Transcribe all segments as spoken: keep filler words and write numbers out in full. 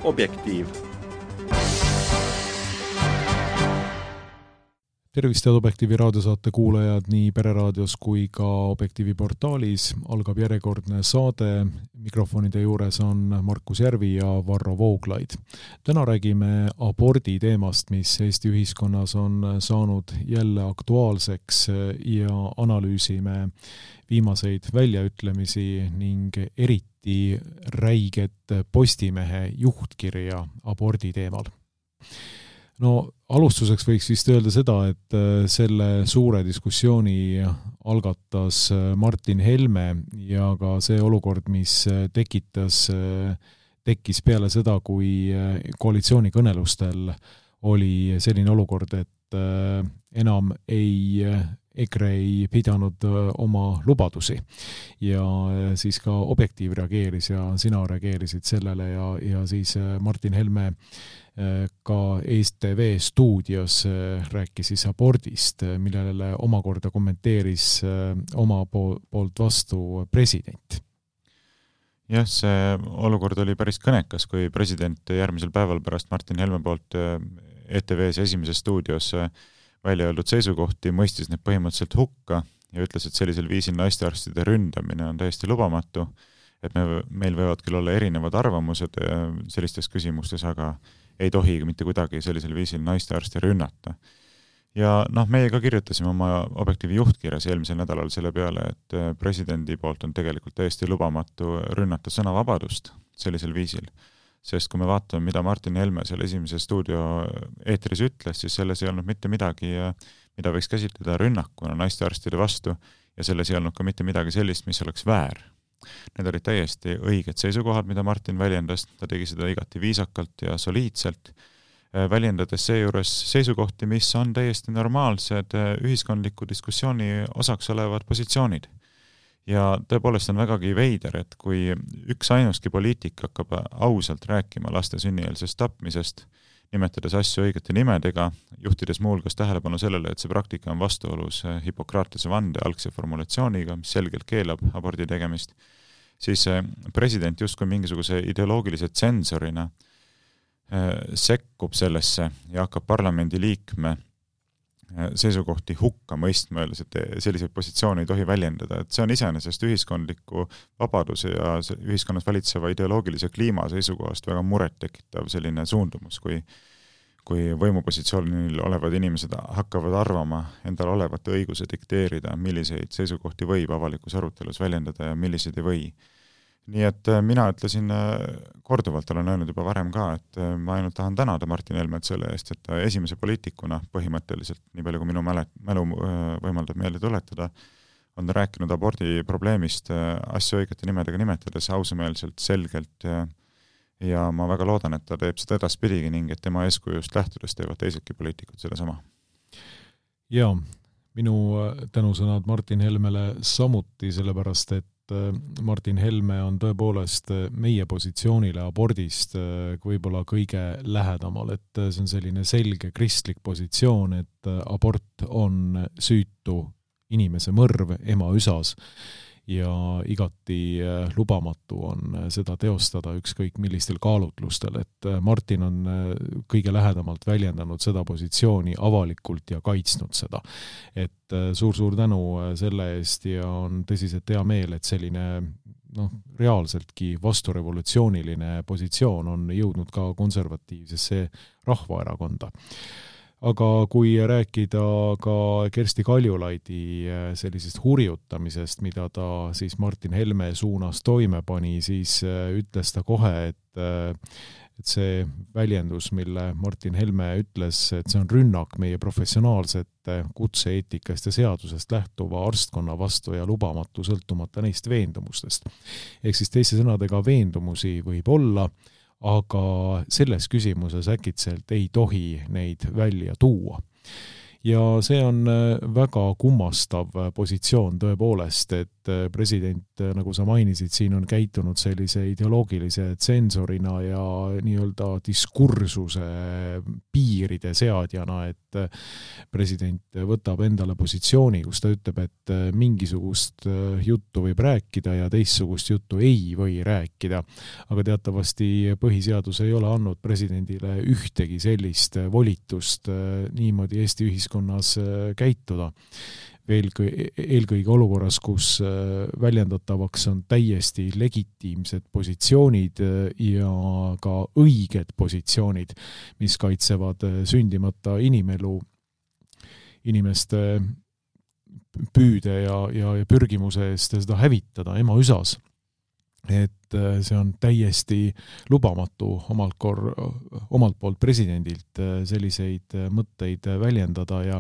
Objektiiv. Tervist head Objektiivi raadiosaate kuulajad nii Pereraadios kui ka Objektiivi portaalis. Algab järjekordne saade. Mikrofonide juures on Markus Järvi ja Varro Vooglaid. Täna räägime abordi teemast, mis Eesti ühiskonnas on saanud jälle aktuaalseks ja analüüsime viimaseid väljaütlemisi ning eriti räiget Postimehe juhtkirja abordi teemal. No alustuseks võiks vist öelda seda, et selle suure diskussiooni algatas Martin Helme ja ka see olukord, mis tekitas, tekkis peale seda, kui koalitsioonikõnelustel oli selline olukord, et enam ei EKRE ei pidanud oma lubadusi ja siis ka Objektiiv reageeris ja sina reageerisid sellele ja, ja siis Martin Helme ka E T V stuudios rääkis siis abordist, millele omakorda kommenteeris oma poolt vastu president. Jah, see olukord oli päris kõnekas, kui president järgmisel päeval pärast Martin Helme poolt E T V's esimeses stuudios välja öeldud seisukohti, mõistis need põhimõtteliselt hukka ja ütles, et sellisel viisil naistearstide ründamine on täiesti lubamatu, et me, meil võivad küll olla erinevad arvamused sellistes küsimustes, aga ei tohi mitte kuidagi sellisel viisil naistearste rünnata. Ja noh, meie ka kirjutasime oma Objektiivi juhtkirjas eelmisel nädalal selle peale, et presidendi poolt on tegelikult täiesti lubamatu rünnata sõnavabadust sellisel viisil. Sest kui me vaatame, mida Martin Helme seal esimese stuudio eetris ütles, siis selles ei olnud mitte midagi, mida võiks käsitleda rünnakuna naistearstide vastu ja selles ei olnud ka mitte midagi sellist, mis oleks väär. Need olid täiesti õiged seisukohad, mida Martin väljendas, ta tegi seda igati viisakalt ja soliidselt, väljendades seejuures seisukohti, mis on täiesti normaalsed ühiskondliku diskussiooni osaks olevad positsioonid. Ja tõepoolest on vägagi veider, et kui üks ainuski poliitik hakkab ausalt rääkima laste sünnieelsest tapmisest, nimetades asju õigete nimedega, juhtides muulgas tähelepanu sellele, et see praktika on vastuolus Hippokratese vande algse formulatsiooniga, mis selgelt keelab abordi tegemist, siis president justkui mingisuguse ideoloogilise tsensorina sekkub sellesse ja hakkab parlamendi liikme seisukohti hukka mõistma, öeldes, et selliseid positsioone ei tohi väljendada. Et see on iseenesest ühiskondliku vabaduse ja ühiskonnas valitseva ideoloogilise kliima seisukohast väga muret tekitav selline suundumus, kui, kui võimupositsioonil olevad inimesed hakkavad arvama endal olevat õiguse dikteerida, milliseid seisukohti võib avalikus arutelus väljendada ja milliseid ei või. Nii et mina ütlesin korduvalt, olen öelnud juba varem ka, et ma ainult tahan tänada Martin Helmet selle eest, et ta esimese poliitikuna põhimõtteliselt, nii palju kui minu mälu võimaldab meelde tuletada, on rääkinud abordi probleemist asju õigete nimedega nimetades ausameelselt, selgelt ja, ja ma väga loodan, et ta teeb seda edaspidigi ning et tema eeskujust lähtudes teevad teisedki poliitikud selle sama. Ja, minu tänusõnad Martin Helmele samuti sellepärast, et Martin Helme on tõepoolest meie positsioonile abordist võib-olla kõige lähedamal, et see on selline selge kristlik positsioon, et abort on süütu inimese mõrv ema üsas ja igati lubamatu on seda teostada ükskõik millistel kaalutlustel, et Martin on kõige lähedamalt väljendanud seda positsiooni avalikult ja kaitsnud seda. Et suur-suur tänu selle eest ja on tõsiselt hea meel, et selline noh, reaalseltki vasturevolutsiooniline positsioon on jõudnud ka konservatiivsesse rahvaerakonda. Aga kui rääkida ka Kersti Kaljulaidi sellisest hurjutamisest, mida ta siis Martin Helme suunas toime pani, siis ütles ta kohe, et, et see väljendus, mille Martin Helme ütles, et see on rünnak meie professionaalsete kutse-eetikast ja seadusest lähtuva arstkonna vastu ja lubamatu sõltumata neist veendumustest. Ehk siis teiste sõnadega veendumusi võib olla, aga selles küsimuses äkitselt ei tohi neid välja tuua. ja see on väga kummastav positsioon tõepoolest, et president, nagu sa mainisid, siin on käitunud sellise ideoloogilise tsensorina ja nii-öelda diskursuse piiride seadjana, et president võtab endale positsiooni, kus ta ütleb, et mingisugust juttu võib rääkida ja teistsugust juttu ei või rääkida. Aga teatavasti põhiseadus ei ole andnud presidendile ühtegi sellist volitust niimoodi Eesti ühiskonnas käituda. Eelkõige olukorras, kus väljendatavaks on täiesti legitiimsed positsioonid ja ka õiged positsioonid, mis kaitsevad sündimata inimelu, inimeste püüde ja, ja, ja pürgimuse eest seda hävitada ema üsas. Et see on täiesti lubamatu omalt, kor, omalt poolt presidendilt selliseid mõtteid väljendada ja,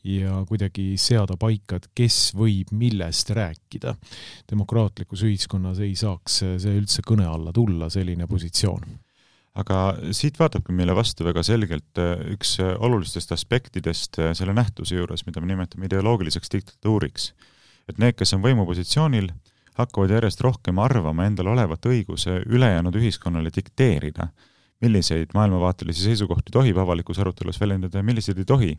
ja kuidagi seada paika, et kes võib millest rääkida. Demokraatlikus ühiskonnas ei saaks see üldse kõne alla tulla, selline positsioon. Aga siit vaatabki meile vastu väga selgelt üks olulistest aspektidest selle nähtuse juures, mida me nimetame ideoloogiliseks diktatuuriks. Et need, kes on võimupositsioonil, hakkavad järjest rohkem arvama endal olevat õiguse ülejäänud ühiskonnale dikteerida, milliseid maailmavaatelisi seisukohti tohib avalikus arutelus väljendada ja milliseid ei tohi.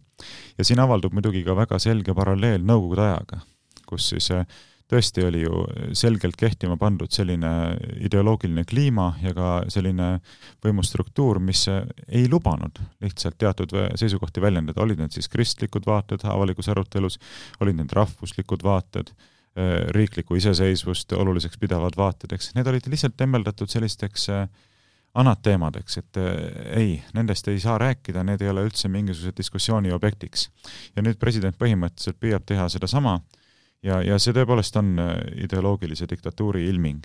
Ja siin avaldub muidugi ka väga selge paralleel Nõukogude ajaga, kus siis tõesti oli ju selgelt kehtima pandud selline ideoloogiline kliima ja ka selline võimustruktuur, mis ei lubanud lihtsalt teatud seisukohti väljendada. Olid need siis kristlikud vaated avalikus arutelus, olid need rahvuslikud vaated, riikliku iseseisvust oluliseks pidavad vaatedeks. Need olid lihtsalt temmeldatud sellisteks anateemadeks, et ei, nendest ei saa rääkida, need ei ole üldse mingisuguse diskussiooni objektiks. Ja nüüd president põhimõtteliselt püüab teha seda sama ja, ja see tõepoolest on ideoloogilise diktatuuri ilming.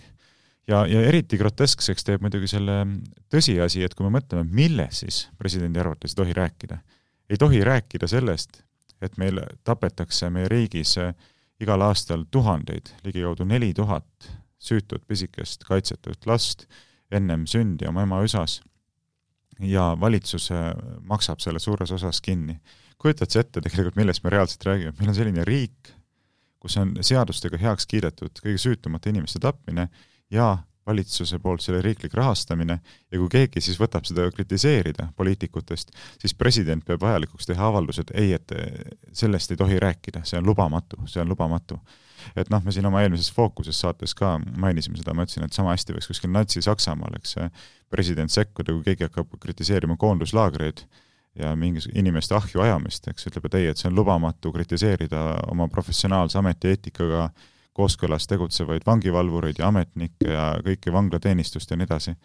Ja, ja eriti groteskseks teeb muidugi selle tõsiasi, et kui me mõtleme, milles siis presidendi arvates ei tohi rääkida. Ei tohi rääkida sellest, et meil tapetakse meie riigis igal aastal tuhandeid, ligikaudu neli tuhat süütut pisikest kaitsetut last ennem sündi oma ema üsas ja valitsus maksab selle suures osas kinni. Kujutad see ette tegelikult, millest me reaalselt räägime? Meil on selline riik, kus on seadustega heaks kiidetud kõige süütumate inimeste tapmine ja valitsuse poolt selle riiklik rahastamine ja kui keegi siis võtab seda kritiseerida poliitikutest, siis president peab vajalikuks teha avaldused, ei, et sellest ei tohi rääkida, see on lubamatu, see on lubamatu. Et noh, me siin oma eelmises fookuses saates ka mainisime seda, ma ütlesin, et sama hästi võiks kuskil Natsi-Saksamaal, eks president sekkuda, kui keegi hakkab kritiseerima koonduslaagreid ja mingis inimeste ahju ajamist, eks ütleb, et ei, et see on lubamatu kritiseerida oma professionaalse ametieetikaga kooskõlas tegutsevaid vangivalvureid ja ametnikke ja kõiki vanglateenistust ja nii edasi.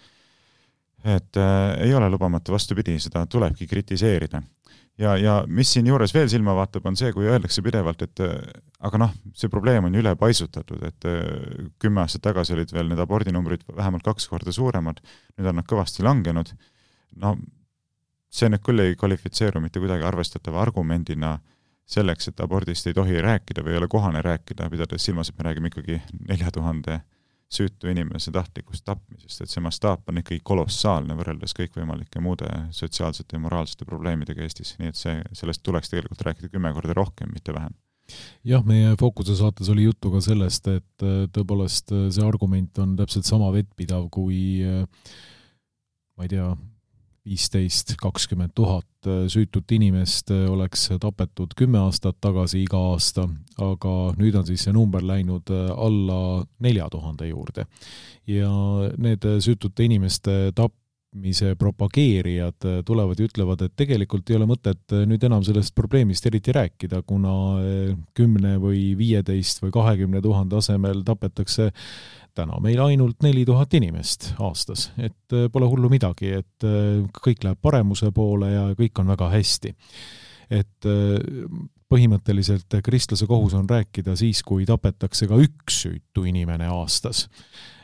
Et äh, ei ole lubamatu, vastupidi, seda tulebki kritiseerida. Ja, ja mis siin juures veel silma vaatab, on see, kui öeldakse pidevalt, et aga noh, see probleem on üle paisutatud, et kümme aastat tagasi olid veel need abordinumbrid vähemalt kaks korda suuremad, nüüd on nad kõvasti langenud. No, see nüüd küll ei kvalifitseeru mitte kuidagi arvestatava argumendina selleks, et abordist ei tohi rääkida või ei ole kohane rääkida, pidades silmas, et me räägime ikkagi nelja tuhande süütu inimese tahtlikust tapmisest, et see mastaap on ikkagi kolossaalne võrreldes kõikvõimalike muude sotsiaalsete ja moraalsete probleemidega Eestis, nii et see, sellest tuleks tegelikult rääkida kümme korda rohkem, mitte vähem. Jah, meie fookuse saates oli juttu ka sellest, et tõepoolest see argument on täpselt sama vettpidav kui ma ei tea, viisteist kakskümmend tuhat süütut inimest oleks tapetud kümme aastat tagasi iga aasta, aga nüüd on siis see number läinud alla nelja tuhande juurde. Ja need süütute inimeste tapmise propageerijad tulevad ja ütlevad, et tegelikult ei ole mõtet nüüd enam sellest probleemist eriti rääkida, kuna kümne või viieteist või kahekümne tuhande asemel tapetakse täna meil ainult neli tuhat inimest aastas, et pole hullu midagi, et kõik läheb paremuse poole ja kõik on väga hästi. Et põhimõtteliselt kristlase kohus on rääkida siis, kui tapetakse ka üks süütu inimene aastas.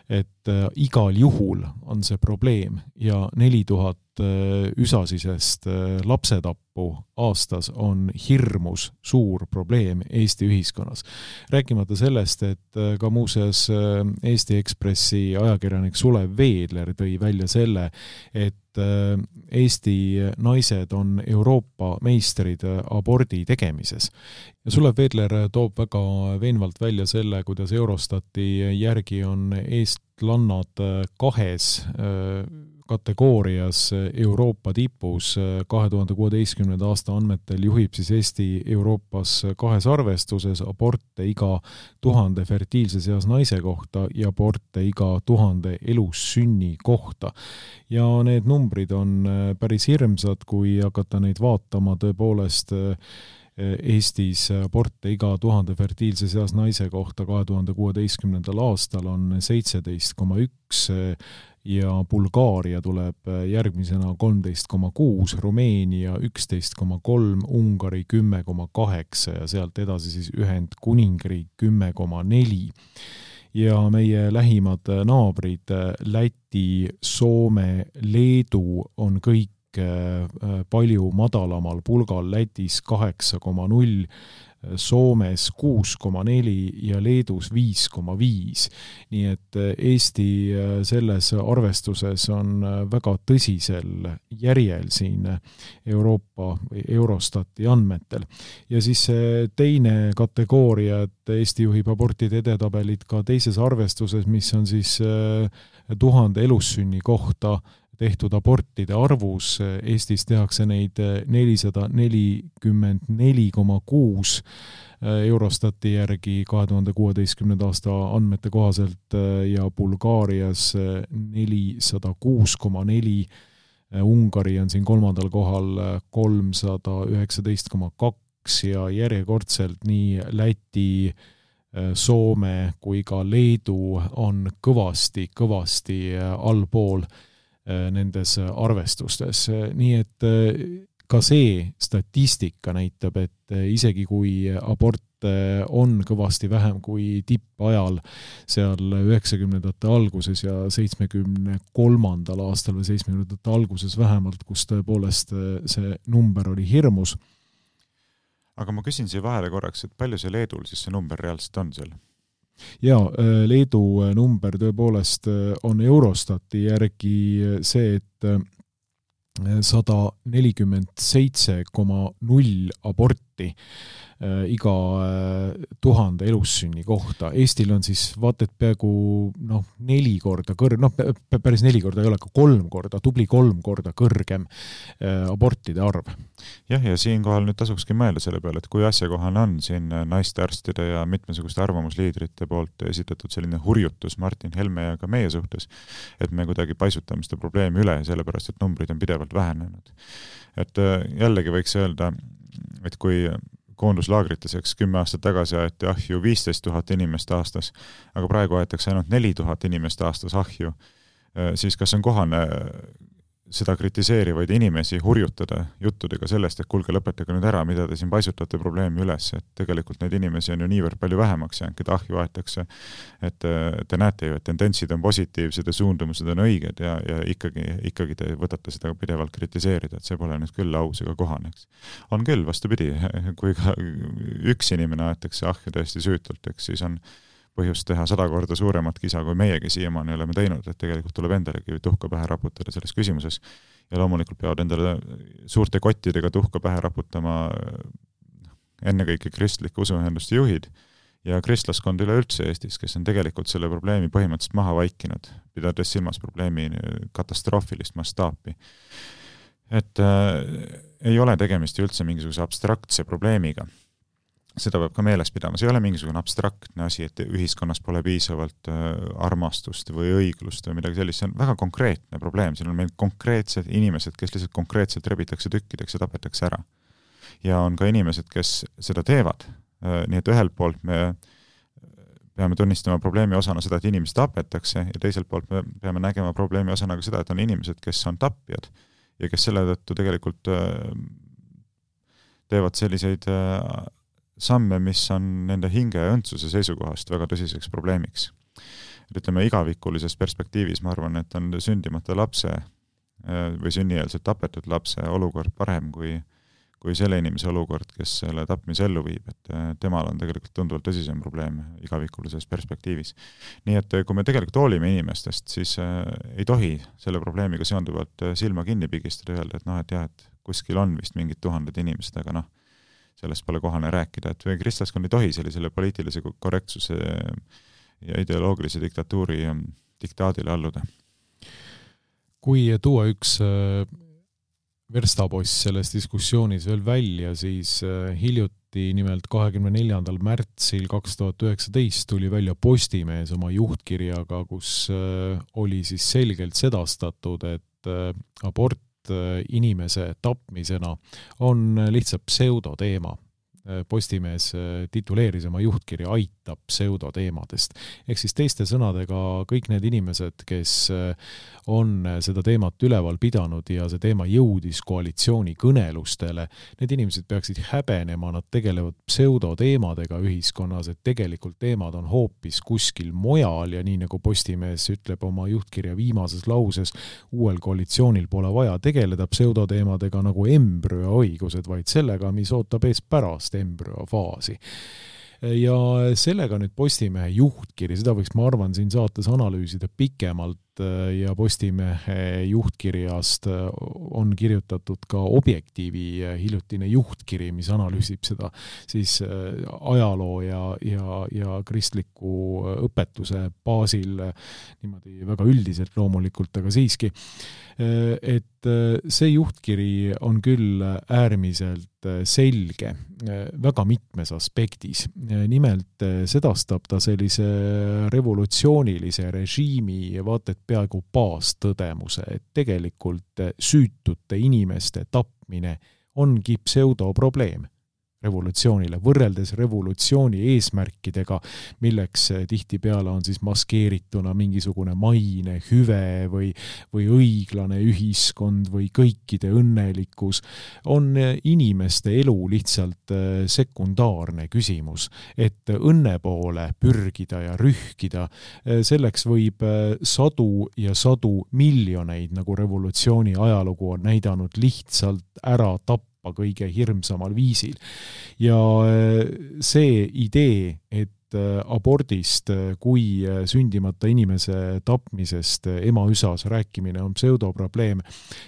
Et igal juhul on see probleem ja neli tuhat üsasisest lapsetappu aastas on hirmus suur probleem Eesti ühiskonnas. Rääkimata sellest, et ka muuseas Eesti Ekspressi ajakirjanik Sulev Veedler tõi välja selle, et Eesti naised on Euroopa meistrid abordi tegemises. Ja Sulev Veedler toob väga veenvalt välja selle, kuidas Eurostati järgi on eestlannad kahes kategoorias Euroopa tipus. kahe tuhande kuueteistkümnenda aasta andmetel juhib siis Eesti Euroopas kahes arvestuses aborte iga tuhande fertiilses eas naise kohta ja aborte iga tuhande elussünni kohta. Ja need numbrid on päris hirmsad, kui hakata neid vaatama tõepoolest Eestis aborte iga tuhande fertiilses eas naise kohta kahe tuhande kuueteistkümnendal aastal on seitseteist koma üks ja Bulgaaria tuleb järgmisena kolmteist koma kuus, Rumeenia üksteist koma kolm, Ungari kümme koma kaheksa ja sealt edasi siis Ühendkuningriik kümme koma neli. Ja meie lähimad naabrid Läti, Soome, Leedu on kõik palju madalamal pulgal, Lätis kaheksa koma null, Soomes kuus koma neli ja Leedus viis koma viis. Nii et Eesti selles arvestuses on väga tõsisel järjel siin Euroopa või Eurostati andmetel. Ja siis teine kategooria, et Eesti juhib abortide edetabelit ka teises arvestuses, mis on siis tuhande elussünni kohta tehtud abortide arvus. Eestis tehakse neid nelisada nelikümmend neli koma kuus Eurostati järgi kahe tuhande kuueteistkümnenda aasta andmete kohaselt ja Bulgaarias nelisada kuus koma neli. Ungari on siin kolmandal kohal kolmsada üheksateist koma kaks ja järjekordselt nii Läti, Soome kui ka Leedu on kõvasti, kõvasti allpool nendes arvestustes. Nii et ka see statistika näitab, et isegi kui abort on kõvasti vähem kui tippajal seal üheksakümnendate alguses ja seitsmekümne kolmandal aastal või seitsmekümnendate alguses vähemalt, kus tõepoolest see number oli hirmus. Aga ma küsin siia vahele korraks, et palju see Leedul siis see number reaalselt on seal? Ja Leedu number tõepoolest on Eurostati järgi see, et sada nelikümmend seitse koma null aborti iga tuhande elussünni kohta. Eestil on siis vaata, et peaaegu noh, neli korda kõrgem, noh päris neli korda ei ole, ka kolm korda, tubli kolm korda kõrgem abortide arv. Jah, ja siinkohal nüüd tasukski mõelda selle peale, et kui asjakohane on siin naiste arstide ja mitmesuguste arvamusliidrite poolt esitatud selline hurjutus Martin Helme ja ka meie suhtes, et me kuidagi paisutame seda probleemi üle, sellepärast et numbrid on pidevalt vähenenud. Et jällegi võiks öelda, et kui koonduslaagriteseks kümme aastat tagasi aeti ahju viisteist tuhat inimest aastas, aga praegu aetakse ainult neli tuhat inimest aastas ahju, siis kas on kohane seda kritiseerivaid inimesi hurjutada juttudega sellest, et kuulge, lõpetage nüüd ära, mida te siin paisutate probleemi üles, et tegelikult neid inimesi on ju niivõrd palju vähemaks jäänud, keda ahju aetakse, et te näete ju, et tendentsid on positiivsed ja suundumused on õiged ja, ja ikkagi, ikkagi te võtate seda pidevalt kritiseerida, et see pole nüüd küll aus ega kohaneks. On küll, vastupidi, kui ka üks inimene aetakse ahju tõesti süütult, eks siis on põhjust teha sada korda suuremat kisa, kui meiegi siiamaani oleme teinud, et tegelikult tuleb endalegi tuhka pähe raputada selles küsimuses. Ja loomulikult peavad endale suurte kottidega tuhka pähe raputama ennekõike kristlike usuühenduste juhid ja kristlaskond üleüldse Eestis, kes on tegelikult selle probleemi põhimõtteliselt maha vaikinud, pidades silmas probleemi katastroofilist mastaapi. Et äh, ei ole tegemist üldse mingisuguse abstraktse probleemiga. Seda peab ka meeles pidama. See ei ole mingisugune abstraktne asi, et ühiskonnas pole piisavalt armastust või õiglust või midagi sellist. See on väga konkreetne probleem. Siin on meil konkreetsed inimesed, kes lihtsalt konkreetselt rebitakse tükkideks ja tapetakse ära. Ja on ka inimesed, kes seda teevad. Nii et ühelt poolt me peame tunnistama probleemi osana seda, et inimesed tapetakse ja teiselt poolt me peame nägema probleemi osana ka seda, et on inimesed, kes on tapjad ja kes selle tõttu tegelikult teevad selliseid samme, mis on nende hinge ja õndsuse seisukohast väga tõsiseks probleemiks. Et ütleme, igavikulises perspektiivis ma arvan, et on sündimata lapse või sünnieelselt tapetud lapse olukord parem kui, kui selle inimese olukord, kes selle tapmise ellu viib, et temal on tegelikult tunduvalt tõsisem probleem igavikulises perspektiivis. Nii et kui me tegelikult hoolime inimestest, siis ei tohi selle probleemiga seonduvalt silma kinni pigistada ja öelda, et noh, et jah, et kuskil on vist mingid tuhanded inimesed, aga noh, sellest pole kohane rääkida, et kristlaskond ei tohi sellisele poliitilise korrektsuse ja ideoloogilise diktatuuri diktaadile alluda. Kui tuua üks verstapost selles diskussioonis veel välja, siis hiljuti nimelt kahekümne neljandal märtsil kaks tuhat üheksateist tuli välja Postimees oma juhtkirjaga, kus oli siis selgelt sedastatud, et abort inimese tapmisena on lihtsalt pseudoteema. Postimees tituleeris oma juhtkirja Aitab pseudoteemadest. Ehk siis teiste sõnadega kõik need inimesed, kes on seda teemat üleval pidanud ja see teema jõudis koalitsiooni kõnelustele, need inimesed peaksid häbenema, nad tegelevad pseudoteemadega ühiskonnas, et tegelikult teemad on hoopis kuskil mujal ja nii nagu Postimees ütleb oma juhtkirja viimases lauses, uuel koalitsioonil pole vaja tegeleda pseudoteemadega nagu embrüoõigused, vaid sellega, mis ootab ees pärast embrüofaasi. Ja sellega nüüd Postimehe juhtkiri, seda võiks, ma arvan, siin saates analüüsida pikemalt ja Postimehe juhtkirjast on kirjutatud ka Objektiivi hiljutine juhtkiri, mis analüüsib seda siis ajaloo ja, ja, ja kristliku õpetuse baasil niimoodi väga üldiselt loomulikult, aga siiski, et see juhtkiri on küll äärmiselt selge väga mitmes aspektis. Nimelt sedastab ta sellise revolutsioonilise režiimi vaat et peaaegu baastõdemuse, et tegelikult süütute inimeste tapmine ongi pseudoprobleem revolutsioonile, võrreldes revolutsiooni eesmärkidega, milleks tihtipeale on siis maskeerituna mingisugune maine, hüve või, või õiglane ühiskond või kõikide õnnelikkus, on inimeste elu lihtsalt sekundaarne küsimus, et õnne poole pürgida ja rühkida, selleks võib sadu ja sadu miljoneid, nagu revolutsiooni ajalugu on näidanud, lihtsalt ära tappa kõige hirmsamal viisil. Ja see idee, et abordist kui sündimata inimese tapmisest ema üsas rääkimine on pseudoprobleem,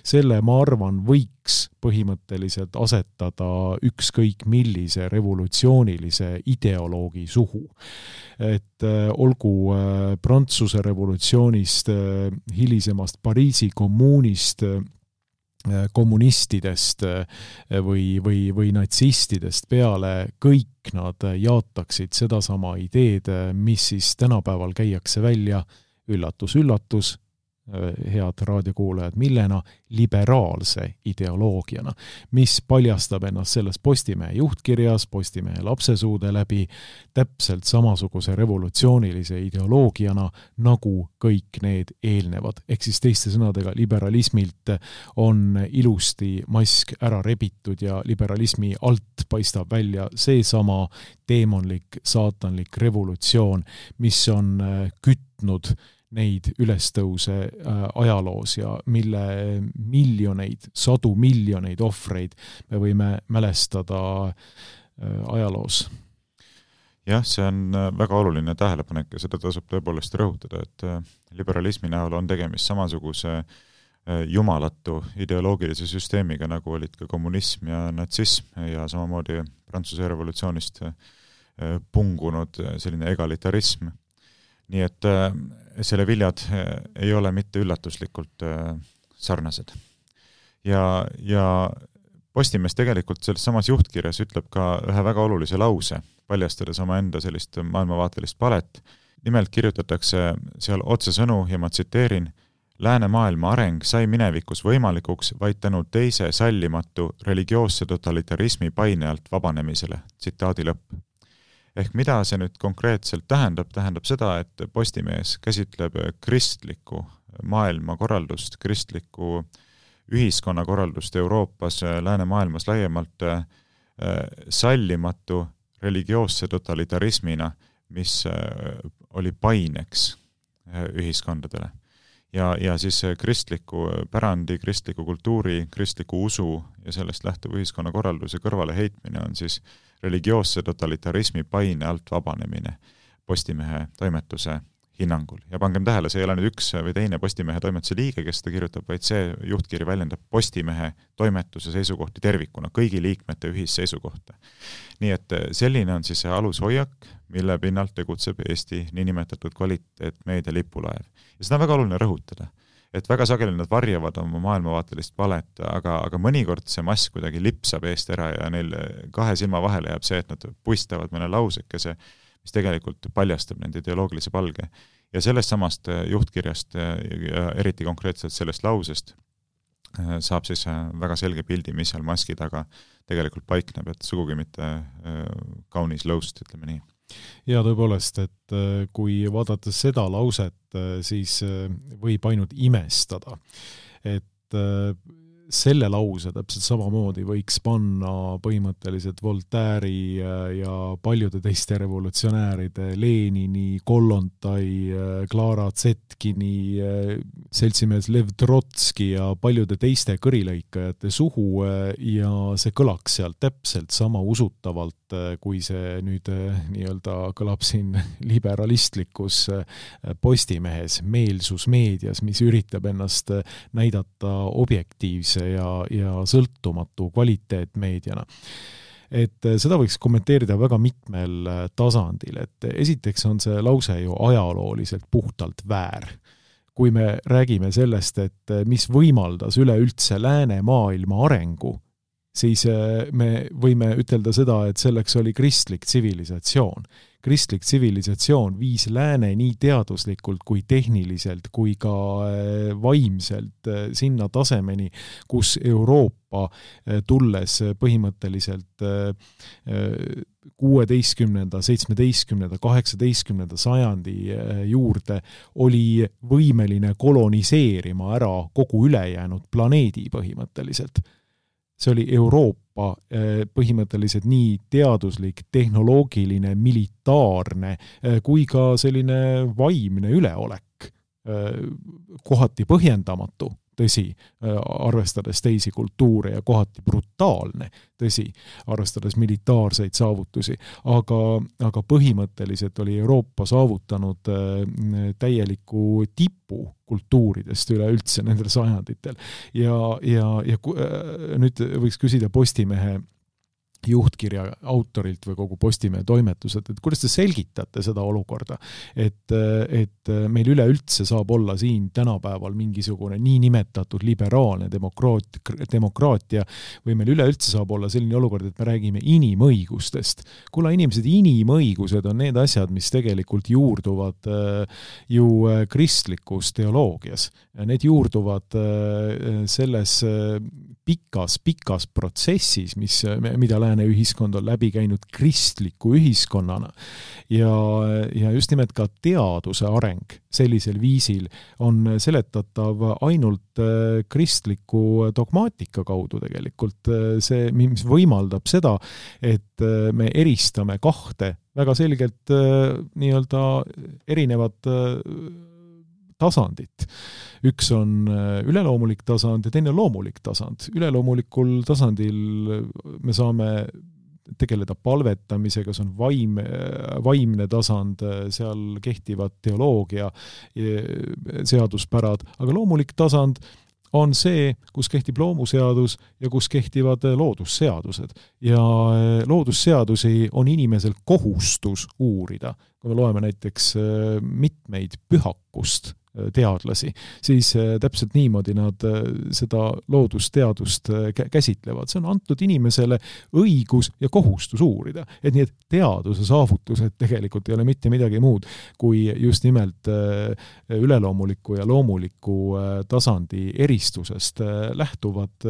selle ma arvan võiks põhimõtteliselt asetada ükskõik millise revolutsioonilise ideoloogi suhu. Et olgu Prantsuse revolutsioonist, hilisemast Pariisi kommuunist, kommunistidest või, või, või natsistidest peale, kõik nad jaataksid sedasama ideed, mis siis tänapäeval käiakse välja, üllatus, üllatus, head raadiokuulajad, millena liberaalse ideoloogiana, mis paljastab ennast selles Postimehe juhtkirjas, Postimehe lapsesuude läbi täpselt samasuguse revolutsioonilise ideoloogiana, nagu kõik need eelnevad. Ehk siis teiste sõnadega, liberalismilt on ilusti mask ära rebitud ja liberalismi alt paistab välja seesama teemonlik, saatanlik revolutsioon, mis on kütnud neid ülestõuse ajaloos ja mille miljoneid, sadu miljoneid ohvreid me võime mälestada ajaloos. Jah, see on väga oluline tähelepanek ja seda tasub tõepoolest rõhutada, et liberalismi näol on tegemist samasuguse jumalatu ideoloogilise süsteemiga, nagu olid ka kommunism ja natsism ja samamoodi Prantsuse revolutsioonist pungunud selline egalitarism. Nii et selle viljad ei ole mitte üllatuslikult sarnased. Ja, ja Postimees tegelikult selles samas juhtkirjas ütleb ka ühe väga olulise lause, paljastades oma enda sellist maailmavaatelist palet. Nimelt kirjutatakse seal otsesõnu ja ma tsiteerin: läänemaailma areng sai minevikus võimalikuks vaid tänu teise sallimatu religioosse totalitarismi paine alt vabanemisele. Tsitaadi lõpp. Ehk mida see nüüd konkreetselt tähendab? Tähendab seda, et Postimees käsitleb kristlikku maailmakorraldust, kristlikku ühiskonnakorraldust Euroopas, läänemaailmas laiemalt sallimatu religioosse totalitarismina, mis oli paineks ühiskondadele. ja, ja siis kristliku pärandi, kristliku kultuuri, kristliku usu ja sellest lähtuv ühiskonnakorralduse kõrvale heitmine on siis religioosse totalitarismi paine alt vabanemine Postimehe toimetuse hinnangul. Ja pangem tähele, see ei ole nüüd üks või teine Postimehe toimetuse liige, kes seda kirjutab, vaid see juhtkiri väljendab Postimehe toimetuse seisukohti tervikuna, kõigi liikmete ühisseisukohta. Nii et selline on siis see alushoiak, mille pinnalt tegutseb Eesti niinimetatud kvaliteetmeedia lipulaev. Ja seda on väga oluline rõhutada, et väga sageli nad varjavad oma maailmavaatelist valet, aga, aga mõnikord see mask kuidagi lipsab eest ära ja neil kahe silma vahele jääb see, et nad puistavad mõne lausekese, mis tegelikult paljastab nende ideoloogilise palge. Ja sellest samast juhtkirjast ja eriti konkreetselt sellest lausest saab siis väga selge pildi, mis seal maski taga tegelikult paikneb, et sugugi mitte kaunis lõust, ütleme nii. Ja tõepoolest, et kui vaadata seda lauset, siis võib ainult imestada, et selle lause täpselt samamoodi võiks panna põhimõtteliselt Voltaire'i ja paljude teiste revolutsionääride, Lenini, Kollontai, Clara Zetkini, seltsimees Lev Trotski ja paljude teiste kõrilõikajate suhu ja see kõlaks seal täpselt sama usutavalt, kui see nüüd nii-öelda kõlab siin liberalistlikus Postimehes, meelsusmeedias, mis üritab ennast näidata objektiivse ja, ja sõltumatu kvaliteetmeediana. Et seda võiks kommenteerida väga mitmel tasandil, et esiteks on see lause ju ajalooliselt puhtalt väär. Kui me räägime sellest, et mis võimaldas üleüldse lääne maailma arengu, siis me võime ütelda seda, et selleks oli kristlik tsivilisatsioon. Kristlik tsivilisatsioon viis lääne nii teaduslikult kui tehniliselt kui ka vaimselt sinna tasemeni, kus Euroopa tulles põhimõtteliselt kuueteistkümnenda, seitsmeteistkümnenda, kaheksateistkümnenda sajandi juurde oli võimeline koloniseerima ära kogu ülejäänud planeedi põhimõtteliselt. See oli Euroopa põhimõtteliselt nii teaduslik, tehnoloogiline, militaarne kui ka selline vaimne üleolek, kohati põhjendamatu, tõsi, arvestades teisi kultuure ja kohati brutaalne, tõsi, arvestades militaarseid saavutusi, aga, aga põhimõtteliselt oli Euroopa saavutanud täieliku tipu kultuuridest üleüldse nendel sajanditel. Ja, ja, ja nüüd võiks küsida Postimehe juhtkirja autorilt või kogu Postimehe toimetuselt, et kuidas te selgitate seda olukorda, et, et meil üleüldse saab olla siin tänapäeval mingisugune nii nimetatud liberaalne demokraat, demokraatia või meil üleüldse saab olla selline olukord, et me räägime inimõigustest. Kulla inimesed, inimõigused on need asjad, mis tegelikult juurduvad ju kristlikus teoloogias. Need juurduvad selles pikas, pikas protsessis, mis, mida lääne ühiskond on läbi käinud kristliku ühiskonnana. Ja, ja just nimelt ka teaduse areng sellisel viisil on seletatav ainult kristliku dogmaatika kaudu tegelikult. See, mis võimaldab seda, et me eristame kahte väga selgelt nii-öelda erinevat tasandit. Üks on üleloomulik tasand ja teine loomulik tasand. Üleloomulikul tasandil me saame tegeleda palvetamisega, see on vaim, vaimne tasand, seal kehtivad teoloogia seaduspärad, aga loomulik tasand on see, kus kehtib loomuseadus ja kus kehtivad loodusseadused. Ja loodusseadusi on inimesel kohustus uurida. Kui me loeme näiteks mitmeid pühakust teadlasi, siis täpselt niimoodi nad seda loodusteadust käsitlevad. See on antud inimesele õigus ja kohustus uurida. Et nii, et teaduse saavutused tegelikult ei ole mitte midagi muud, kui just nimelt üleloomuliku ja loomuliku tasandi eristusest lähtuvad,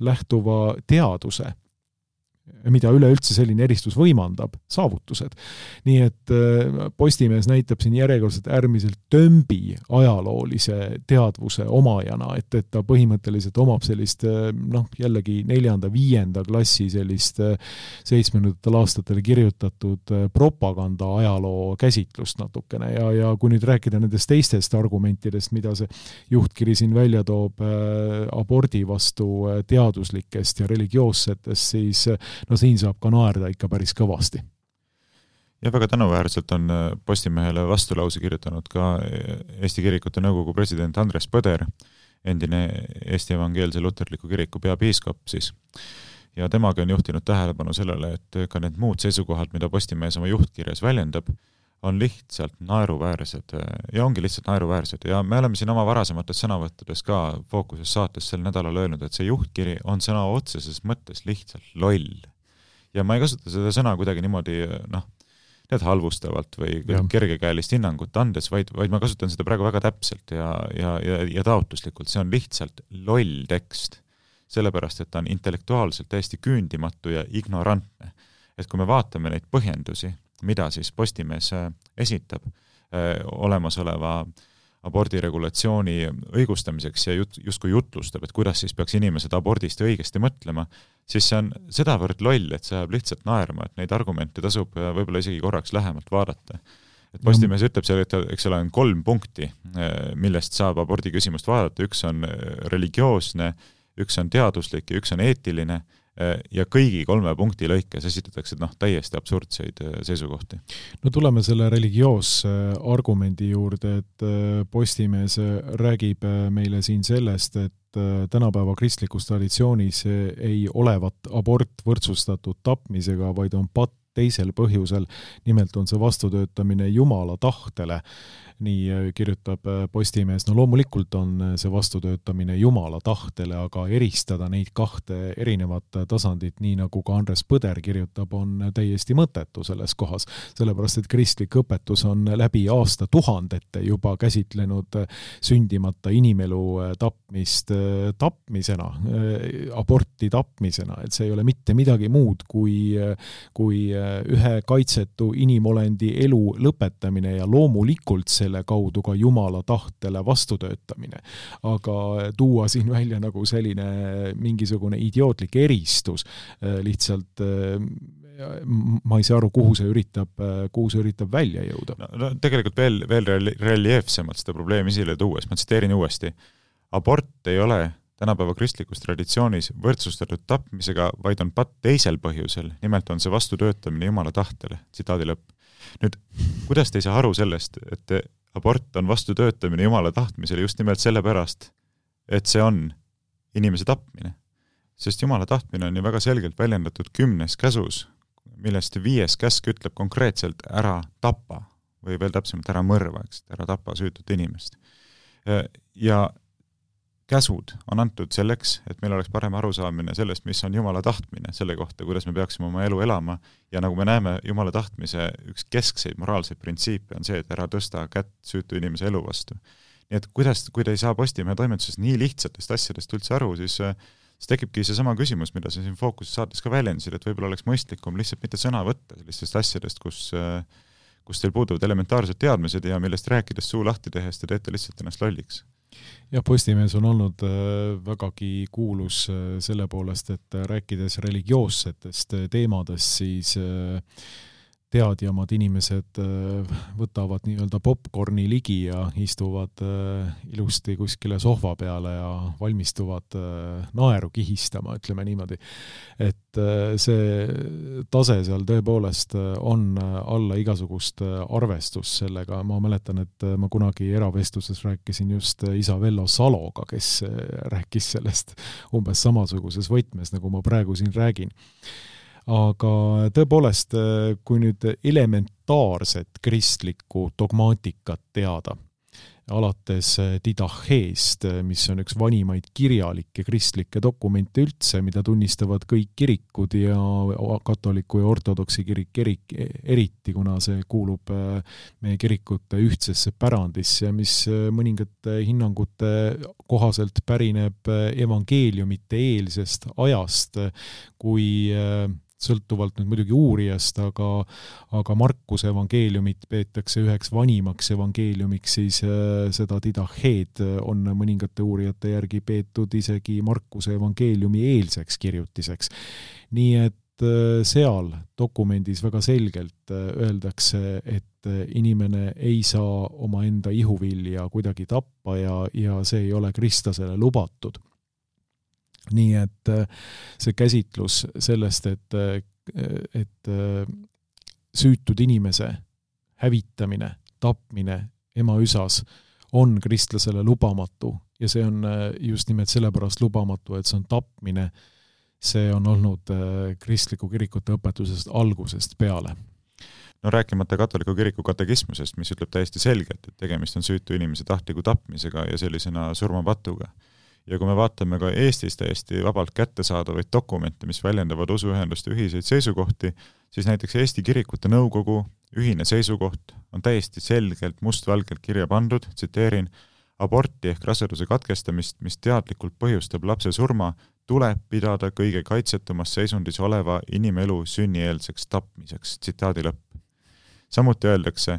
lähtuva teaduse mida üleüldse selline eristus võimandab, saavutused. Nii et Postimees näitab siin järjekordselt äärmiselt tömbi ajaloolise teadvuse omajana, et, et ta põhimõtteliselt omab sellist, noh, jällegi neljanda, viienda klassi sellist seitsmekümnendatel aastatel kirjutatud propaganda ajaloo käsitlust natukene ja, ja kui nüüd rääkida nendest teistest argumentidest, mida see juhtkiri siin välja toob abordi vastu teaduslikest ja religioossetest, siis no siin saab ka naerda ikka päris kõvasti. Ja väga tänuväärselt on Postimehele vastulause kirjutanud ka Eesti Kirikute Nõukogu president Andres Põder, endine Eesti Evangeelse Luterliku Kiriku peapiiskop siis. Ja temaga on juhtinud tähelepanu sellele, et ka need muud seisukohad, mida Postimees oma juhtkirjas väljendab, on lihtsalt naeruväärsed ja ongi lihtsalt naeruväärsed. Ja me oleme siin oma varasemates sõnavõttudes ka Fookuses saates sel nädalal öelnud, et see juhtkiri on sõna otseses mõttes lihtsalt loll. Ja ma ei kasuta seda sõna kuidagi niimoodi, noh, tead halvustavalt või ja. kergekäelist hinnangut andes, vaid, vaid ma kasutan seda praegu väga täpselt ja, ja, ja, ja taotluslikult. See on lihtsalt loll tekst, sellepärast, et ta on intellektuaalselt täiesti küündimatu ja ignorantne. Et kui me vaatame neid põhjendusi, mida siis Postimees esitab äh, olemasoleva abordiregulatsiooni õigustamiseks ja jut, justkui jutlustab, et kuidas siis peaks inimesed abordist õigesti mõtlema, siis see on sedavõrd loll, et see jääb lihtsalt naerma, et neid argumente tasub võib-olla isegi korraks lähemalt vaadata. Et Postimees ütleb seal, et eks ole on kolm punkti, millest saab abordi küsimust vaadata. Üks on religioosne, üks on teaduslik ja üks on eetiline. Ja kõigi kolme punkti lõikes esitatakse noh, täiesti absurdseid seisukohti. No tuleme selle religioosse argumendi juurde, et Postimees räägib meile siin sellest, et tänapäeva kristlikus traditsioonis ei olevat abort võrdsustatud tapmisega, vaid on patt teisel põhjusel, nimelt on see vastutöötamine Jumala tahtele. Nii kirjutab Postimees, no loomulikult on see vastutöötamine Jumala tahtele, aga eristada neid kahte erinevat tasandit, nii nagu ka Andres Põder kirjutab, on täiesti mõttetu selles kohas, sellepärast et kristlik õpetus on läbi aasta tuhandete juba käsitlenud sündimata inimelu tapmist tapmisena, aborti tapmisena, et see ei ole mitte midagi muud kui, kui ühe kaitsetu inimolendi elu lõpetamine ja loomulikult selle kaudu ka Jumala tahtele vastutöötamine. Aga tuua siin välja nagu selline mingisugune idiootlik eristus, lihtsalt ma ei saa aru, kuhu see üritab, kuhu see üritab välja jõuda. No, no, tegelikult veel, veel reljeefsemalt seda probleemi esile tuues, ma tsiteerin uuesti. Abort ei ole tänapäeva kristlikus traditsioonis võrdsustatud tapmisega, vaid on patt teisel põhjusel. Nimelt on see vastutöötamine Jumala tahtele. Tsitaadi lõpp. Nüüd, kuidas te ei saa aru sellest, et abort on vastutöötamine Jumala tahtmisele just nimelt sellepärast, et see on inimese tapmine. Sest Jumala tahtmine on ju väga selgelt väljendatud kümnes käsus, millest viies käsk ütleb konkreetselt ära tapa või veel täpsemalt ära mõrva, eks, ära tapa süütut inimest. Ja käsud on antud selleks, et meil oleks parem arusaamine sellest, mis on Jumala tahtmine, selle kohta, kuidas me peaksime oma elu elama. Ja nagu me näeme, Jumala tahtmise üks keskseid moraalseid printsiipe on see, et ära tõsta kätt süütu inimese elu vastu. Nii et kuidas, kui te ei saa Postimehe toimetuses nii lihtsatest asjadest üldse aru, siis, siis tekibki see sama küsimus, mida sa siin Fookuses saates ka väljendasid, et võib-olla oleks mõistlikum lihtsalt mitte sõna võtta sellistest asjadest, kus, kus teil puuduvad elementaarsed teadmised ja millest rääkides suu lahti tehes te teete lihtsalt ennast lolliks. Ja Postimees on olnud vägagi kuulus selle poolest, et rääkides religioossetest teemadest, siis teadjamad inimesed võtavad nii-öelda popcorni ligi ja istuvad ilusti kuskile sohva peale ja valmistuvad naeru kihistama, ütleme niimoodi. Et see tase seal tõepoolest on alla igasugust arvestust sellega. Ma mäletan, et ma kunagi eravestluses rääkisin just isa Vello Saloga, kes rääkis sellest umbes samasuguses võtmes, nagu ma praegu siin räägin. Aga tõepoolest, kui nüüd elementaarset kristlikku dogmaatikat teada, alates Didacheest, mis on üks vanimaid kirjalikke kristlikke dokumente üldse, mida tunnistavad kõik kirikud ja katoliku ja ortodoksi kirik erik, eriti, kuna see kuulub meie kirikute ühtsesse pärandisse, mis mõningate hinnangute kohaselt pärineb evangeeliumite eelsest ajast, kui sõltuvalt nüüd muidugi uurijast, aga, aga Markuse evangeeliumit peetakse üheks vanimaks evangeeliumiks, siis seda Didacheed on mõningate uurijate järgi peetud isegi Markuse evangeeliumi eelseks kirjutiseks. Nii et seal dokumendis väga selgelt öeldakse, et inimene ei saa oma enda ihuvilja kuidagi tappa ja, ja see ei ole kristlasele lubatud. Nii et see käsitlus sellest, et, et süütud inimese hävitamine, tapmine ema üsas on kristlasele lubamatu ja see on just nimelt sellepärast lubamatu, et see on tapmine. See on olnud kristliku kirikute õpetusest algusest peale. No rääkimata katoliku kiriku katekismusest, mis ütleb täiesti selgelt, et tegemist on süütu inimese tahtliku tapmisega ja sellisena surmapatuga. Ja kui me vaatame ka Eestis täiesti vabalt kättesaadavaid dokumente, mis väljendavad usuühenduste ühiseid seisukohti, siis näiteks Eesti kirikute nõukogu ühine seisukoht on täiesti selgelt mustvalgelt kirja pandud, tsiteerin, aborti ehk raseduse katkestamist, mis teadlikult põhjustab lapse surma, tuleb pidada kõige kaitsetumas seisundis oleva inimelu sünnieelseks tapmiseks, tsitaadi lõpp. Samuti öeldakse,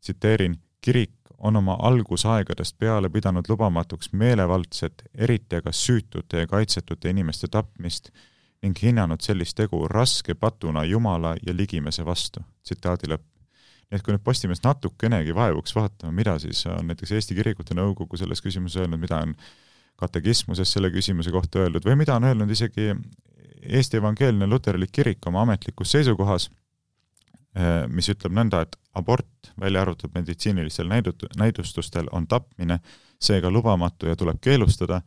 tsiteerin, kirik on oma algusaegadest peale pidanud lubamatuks meelevaldset, eriti aga süütute ja kaitsetute inimeste tapmist ning hinnanud sellist tegu raske patuna Jumala ja ligimese vastu, tsitaadi lõpp. Nii et kui nüüd Postimees natukenegi vaevuks vaatama, mida siis on näiteks Eesti kirikute nõukogu selles küsimuses öelnud, mida on katekismuses selle küsimuse kohta öeldud või mida on öelnud isegi Eesti evangeelne luterlik kirik oma ametlikus seisukohas, mis ütleb nõnda, et abort välja arvatud meditsiinilistel näidustustel on tapmine, seega lubamatu ja tuleb keelustada,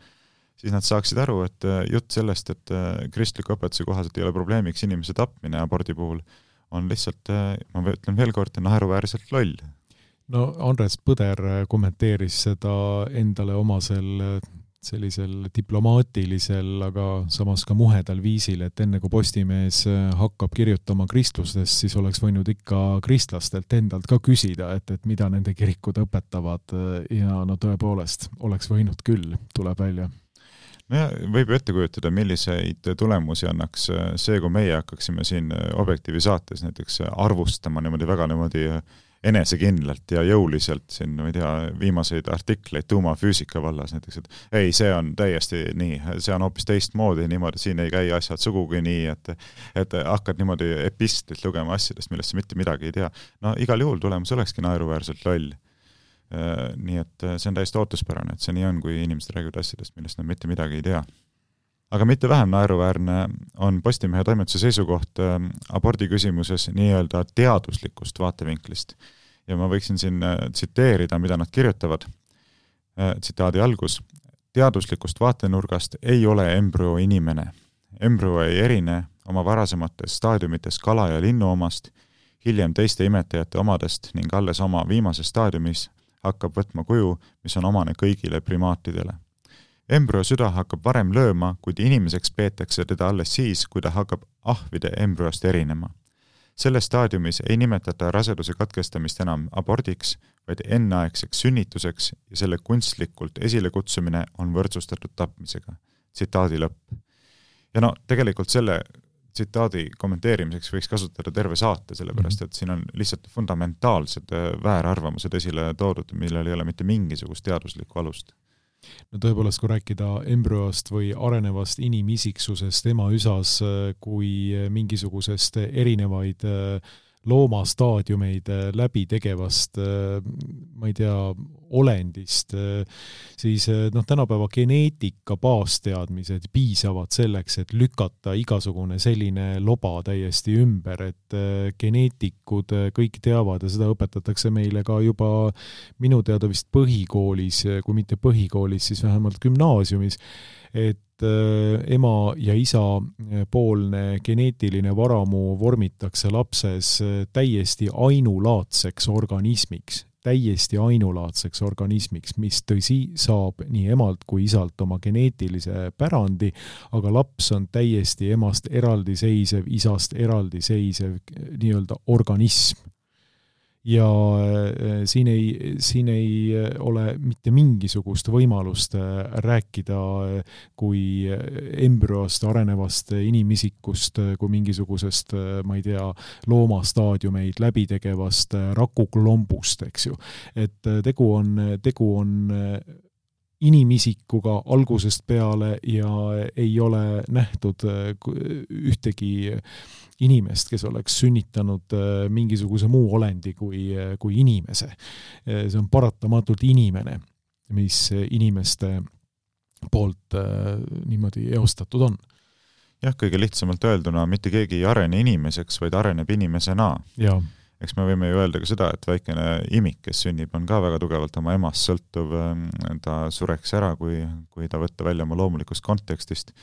siis nad saaksid aru, et jutt sellest, et kristliku õpetuse kohaselt ei ole probleemiks inimese tapmine abordi puhul, on lihtsalt, ma ütlen veel kord, naeruväärselt loll. No Andres Põder kommenteeris seda endale omasel sellisel diplomaatilisel, aga samas ka muhedal viisil, et enne kui Postimees hakkab kirjutama kristlustest, siis oleks võinud ikka kristlastelt endalt ka küsida, et, et mida nende kirikud õpetavad ja no tõepoolest oleks võinud küll, tuleb välja. No ja võib ju ette kujutada, milliseid tulemusi annaks see, kui meie hakkaksime siin Objektiivi saates näiteks arvustama niimoodi väga niimoodi enesekindlalt ja jõuliselt siin, ma ei tea, viimaseid artikleid tuumafüüsika vallas näiteks, et ei, see on täiesti nii, see on hoopis teistmoodi niimoodi, siin ei käi asjad sugugi nii, et, et hakkad niimoodi epistlit lugema asjadest, millest sa mitte midagi ei tea. No igal juhul tulemus olekski naeruväärselt loll. Nii et see on täiesti ootuspärane, et see nii on, kui inimesed räägivad asjadest, millest nad mitte midagi ei tea. Aga mitte vähem naeruväärne on Postimehe toimetuse seisukoht abordi küsimuses nii-öelda teaduslikust vaatevinklist. Ja ma võiksin siin tsiteerida, mida nad kirjutavad. Tsitaadi algus. Teaduslikust vaatenurgast ei ole embrüo inimene. Embrüo ei erine oma varasemates staadiumites kala ja linnu omast, hiljem teiste imetajate omadest ning alles oma viimases staadiumis hakkab võtma kuju, mis on omane kõigile primaatidele. Embrüo süda hakkab varem lööma, kuid inimeseks peetakse teda alles siis, kui ta hakkab ahvide embrüost erinema. Selles staadiumis ei nimetata raseduse katkestamist enam abordiks, vaid enneaegseks sünnituseks ja selle kunstlikult esile kutsumine on võrdsustatud tapmisega. Tsitaadi lõpp. Ja no tegelikult selle tsitaadi kommenteerimiseks võiks kasutada terve saate, sellepärast et siin on lihtsalt fundamentaalsed väärarvamused esile toodud, millel ei ole mitte mingisugust teaduslikku alust. No tõepoolest, kui rääkida embrüost või arenevast inimisiksusest ema üsas kui mingisugusest erinevaid loomastaadiumeid läbi tegevast, ma ei tea, olendist, siis noh, tänapäeva geneetika baasteadmised piisavad selleks, et lükata igasugune selline loba täiesti ümber, et geneetikud kõik teavad ja seda õpetatakse meile ka juba minu teada vist põhikoolis, kui mitte põhikoolis, siis vähemalt gümnaasiumis, et ema ja isa poolne geneetiline varamu vormitakse lapses täiesti ainulaadseks organismiks, täiesti ainulaadseks organismiks, mis tõsi saab nii emalt kui isalt oma geneetilise pärandi, aga laps on täiesti emast eraldiseisev, isast eraldiseisev nii-öelda organism. ja siin ei, siin ei ole mitte mingisugust võimalust rääkida kui embrüost arenevast inimisikust, kui mingisugusest, ma ei tea, loomastaadiumeid läbitegevast rakuklombust, eks ju. Et tegu on, tegu on inimisikuga algusest peale ja ei ole nähtud ühtegi inimest, kes oleks sünnitanud mingisuguse muu olendi kui, kui inimese. See on paratamatult inimene, mis inimeste poolt niimoodi eostatud on. Jah, kõige lihtsamalt öelduna, mitte keegi ei arene inimeseks, vaid areneb inimesena. Jaa. Eks me võime ju öelda ka seda, et väikene imik, kes sünnib, on ka väga tugevalt oma emast sõltuv, ta sureks ära, kui, kui ta võtta välja oma loomulikust kontekstist.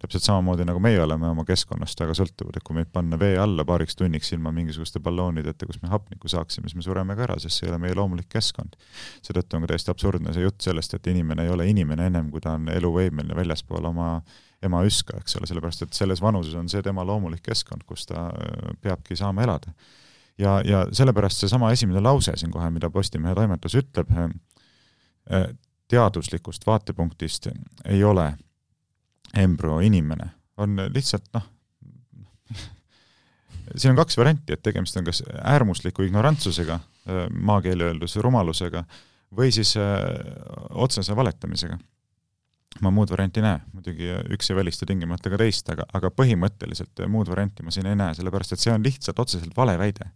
Täpselt samamoodi nagu meie oleme oma keskkonnast väga sõltuvad, et kui meid panna vee alla paariks tunniks ilma mingisuguste balloonideta, kus me hapnikku saaksime, siis me sureme ka ära, sest see ei ole meie loomulik keskkond. Seetõttu on ka täiesti absurdne see jutt sellest, et inimene ei ole inimene ennem, kui ta on eluvõimeline väljaspool oma ema üska, eks ole, sellepärast, et selles vanuses on see tema loomulik keskkond, kus ta peabki saama elada. Ja, ja sellepärast see sama esimene lause siin kohe, mida Postimehe toimetus ütleb, teaduslikust vaatepunktist ei ole embrüo inimene. On lihtsalt, noh, siin on kaks varianti, et tegemist on kas äärmusliku ignorantsusega, maakeeli öeldus rumalusega, või siis otsese valetamisega. Ma muud varianti näe, muidugi üks ei välista tingimata ka teist, aga, aga põhimõtteliselt muud varianti ma siin ei näe, sellepärast et see on lihtsalt otseselt vale väide.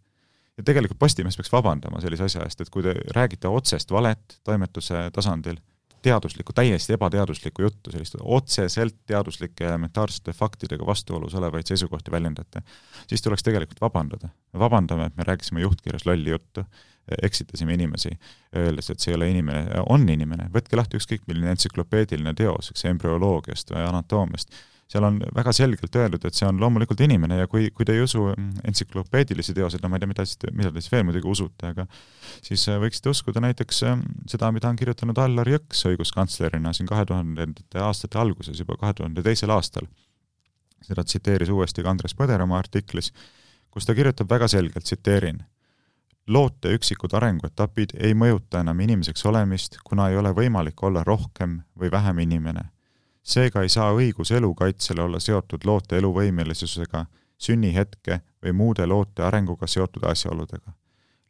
Ja tegelikult Postimees peaks vabandama sellise asja eest, et kui te räägite otsest valet toimetuse tasandil, teaduslikku, täiesti ebateaduslikku juttu, sellist otseselt teaduslike elementaarsete faktidega vastuolus olevaid seisukohti väljendate, siis tuleks tegelikult vabandada. Vabandame, et me rääkisime juhtkirjas lolli juttu, eksitasime inimesi, öeldes, et see ei ole inimene, on inimene. Võtke lahti ükskõik milline entsüklopeediline teos, eks embrüoloogiast või anatoomiast. Seal on väga selgelt öeldud, et see on loomulikult inimene ja kui, kui te ei usu entsüklopeedilisi teoseid, no ma ei tea, mida, mida te siis veel muidugi usute, aga siis võiksite uskuda näiteks seda, mida on kirjutanud Allar Jõks õiguskantslerina siin kahe tuhandete aastate alguses, juba kahe tuhande teisel aastal. Seda tsiteeris uuesti ka Andres Põder oma artiklis, kus ta kirjutab väga selgelt, tsiteerin, loote üksikud arenguetapid ei mõjuta enam inimeseks olemist, kuna ei ole võimalik olla rohkem või vähem inimene. Seega ei saa õigus elukaitsele olla seotud loote eluvõimelisusega, sünnihetke või muude loote arenguga seotud asjaoludega.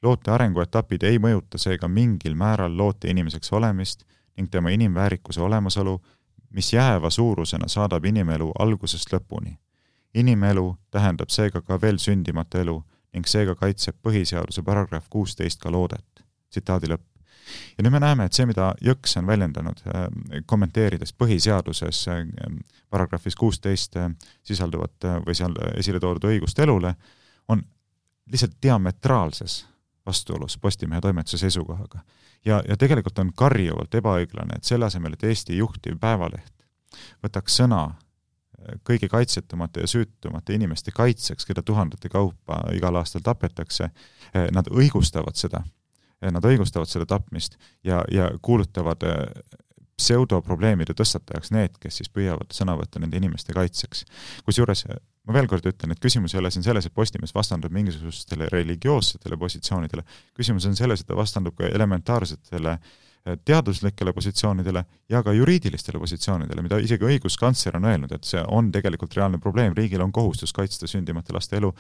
Loote arenguetapid ei mõjuta seega mingil määral loote inimeseks olemist ning tema inimväärikuse olemasolu, mis jääva suurusena saadab inimelu algusest lõpuni. Inimelu tähendab seega ka veel sündimata elu ning seega kaitseb põhiseaduse paragrahv kuusteist ka loodet. Tsitaadi lõpp. Ja nüüd me näeme, et see, mida Jõks on väljendanud, kommenteerides põhiseaduses paragrahvis kuusteist sisalduvat või seal esile toodud õigust elule, on lihtsalt diametraalses vastuolus Postimehe toimetuse seisukohaga. Ja, ja tegelikult on karjuvalt ebaõiglane, et selle asemel, et Eesti juhtiv päevaleht võtaks sõna kõigi kaitsetumate ja süütumate inimeste kaitseks, keda tuhandete kaupa igal aastal tapetakse, nad õigustavad seda. Nad õigustavad seda tapmist ja, ja kuulutavad pseudoprobleemide tõstatajaks need, kes siis püüavad sõna võtta nende inimeste kaitseks. Kusjuures ma veel kord ütlen, et küsimus ei ole siin selles, et Postimees vastandub mingisugustele religioossetele positsioonidele. Küsimus on selles, et ta vastandub ka elementaarsetele teaduslikele positsioonidele ja ka juriidilistele positsioonidele, mida isegi õiguskantsler on öelnud, et see on tegelikult reaalne probleem. Riigil on kohustus kaitsta sündimata laste elu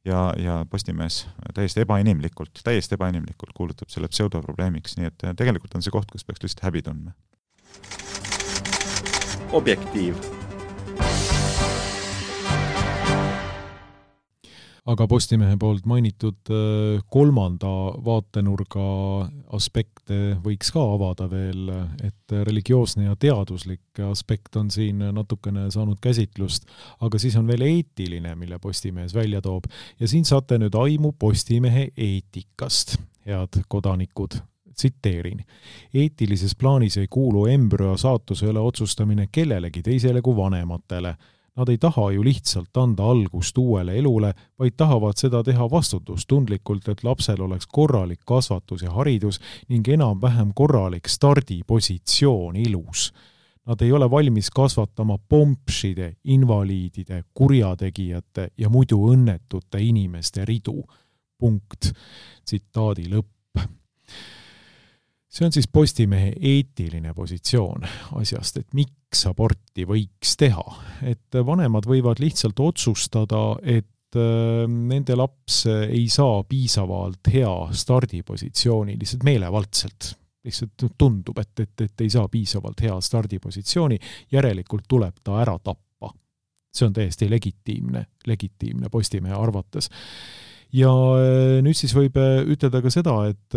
ja, ja Postimees täiesti ebainimlikult, täiesti ebainimlikult kuulutab selle pseudoprobleemiks, nii et tegelikult on see koht, kus peaks lihtsalt häbi tundma. Objektiiv. Aga Postimehe poolt mainitud kolmanda vaatenurga aspekte võiks ka avada veel, et religioosne ja teaduslik aspekt on siin natukene saanud käsitlust, aga siis on veel eetiline, mille Postimees välja toob. Ja siin saate nüüd aimu Postimehe eetikast, head kodanikud. Tsiteerin. Eetilises plaanis ei kuulu embrüo saatuse üle otsustamine kellelegi teisele kui vanematele. Nad ei taha ju lihtsalt anda algust uuele elule, vaid tahavad seda teha vastutustundlikult, et lapsel oleks korralik kasvatus ja haridus ning enam-vähem korralik stardipositsioon ilus. Nad ei ole valmis kasvatama pompšide, invaliidide, kurjategijate ja muidu õnnetute inimeste ridu. punkt, tsitaadi lõpp. See on siis Postimehe eetiline positsioon asjast, et miks aborti võiks teha. Et vanemad võivad lihtsalt otsustada, et nende laps ei saa piisavalt hea stardipositsiooni, lihtsalt meelevaldselt. Lihtsalt tundub, et, et, et ei saa piisavalt hea stardipositsiooni, järelikult tuleb ta ära tappa. See on täiesti legitiimne, legitiimne Postimehe arvates. Ja nüüd siis võib ütelda ka seda, et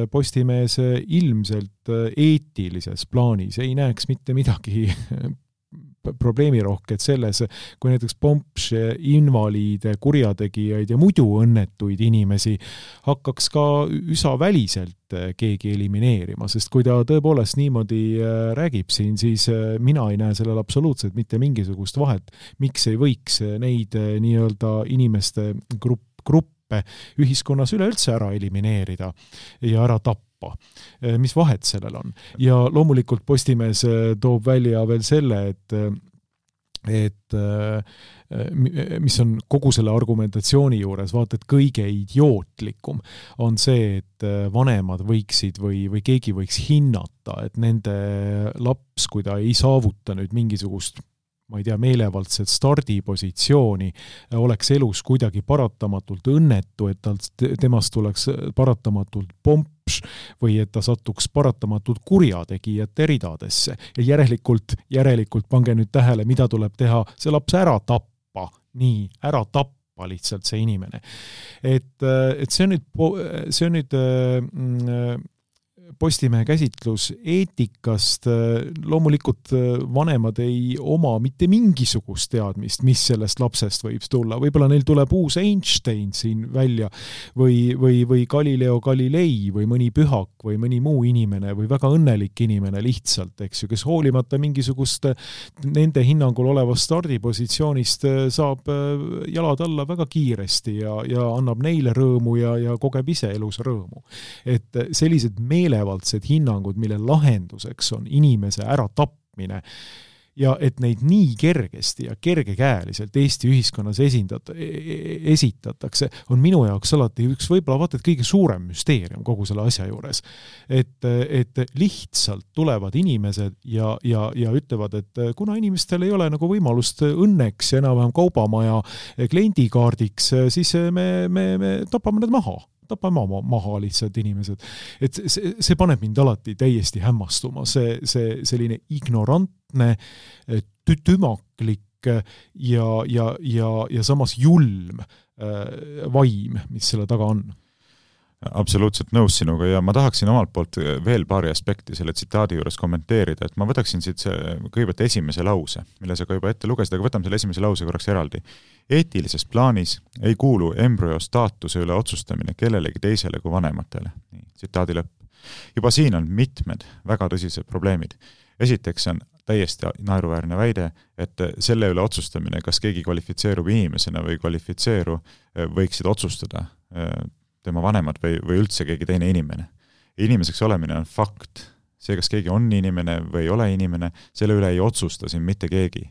Postimees ilmselt eetilises plaanis ei näeks mitte midagi probleemirohked selles, kui näiteks pomps, invaliide, kurjategijaid ja muidu õnnetuid inimesi hakkaks ka üsa väliselt keegi elimineerima, sest kui ta tõepoolest niimoodi räägib siin, siis mina ei näe sellel absoluutselt mitte mingisugust vahet, miks ei võiks neid nii-öelda inimeste grupp, gruppe ühiskonnas üleüldse ära elimineerida ja ära tappa. Mis vahet sellel on? Ja loomulikult Postimees toob välja veel selle, et et mis on kogu selle argumentatsiooni juures, vaata, et kõige idiootlikum on see, et vanemad võiksid või, või keegi võiks hinnata, et nende laps, kui ta ei saavuta nüüd mingisugust ma ei tea, meelevaldset stardipositsiooni, oleks elus kuidagi paratamatult õnnetu, et talt, temast tuleks paratamatult pomps või et ta satuks paratamatult kurjategijate ridadesse. Ja järelikult, järelikult pange nüüd tähele, mida tuleb teha, see laps ära tappa, nii, ära tappa lihtsalt see inimene. Et, et see on nüüd, see on nüüd mm, Postimehe käsitlus eetikast, loomulikult vanemad ei oma mitte mingisugust teadmist, mis sellest lapsest võib tulla. Võib-olla neil tuleb uus Einstein siin välja või, või, või Galileo Galilei või mõni pühak või mõni muu inimene või väga õnnelik inimene lihtsalt, eks ju, kes hoolimata mingisugust nende hinnangul olevast stardipositsioonist saab jalad alla väga kiiresti ja, ja annab neile rõõmu ja, ja kogeb ise elus rõõmu. Et sellised meele valdsed hinnangud, mille lahenduseks on inimese ära tapmine ja et neid nii kergesti ja kergekäeliselt Eesti ühiskonnas esindat, esitatakse, on minu jaoks alati üks võib-olla vaata, et kõige suurem müsteerium kogu selle asja juures. Et, et lihtsalt tulevad inimesed ja, ja, ja ütlevad, et kuna inimestel ei ole nagu võimalust õnneks ja enam-vähem kaubamaja kliendikaardiks, siis me, me, me tapame need maha. tapame maha lihtsalt inimesed. Et see, see paneb mind alati täiesti hämmastuma. See, see selline ignorantne, tümaklik ja, ja, ja, ja samas julm vaim, mis selle taga on. Absoluutselt nõus sinuga ja ma tahaksin omalt poolt veel paari aspekti selle tsitaadi juures kommenteerida, et ma võtaksin siit see, kõigepealt esimese lause, mille sa ka juba ette lugesid, aga võtame selle esimese lause korraks eraldi. Eetilises plaanis ei kuulu embrüo staatuse üle otsustamine kellelegi teisele kui vanematele. Nii, tsitaadi lõpp. Juba siin on mitmed väga tõsised probleemid. Esiteks on täiesti naeruväärne väide, et selle üle otsustamine, kas keegi kvalifitseerub inimesena või kvalifitseeru, võiksid otsustada tema vanemad või, või üldse keegi teine inimene. Inimeseks olemine on fakt. See, kas keegi on inimene või ei ole inimene, selle üle ei otsusta siin mitte keegi.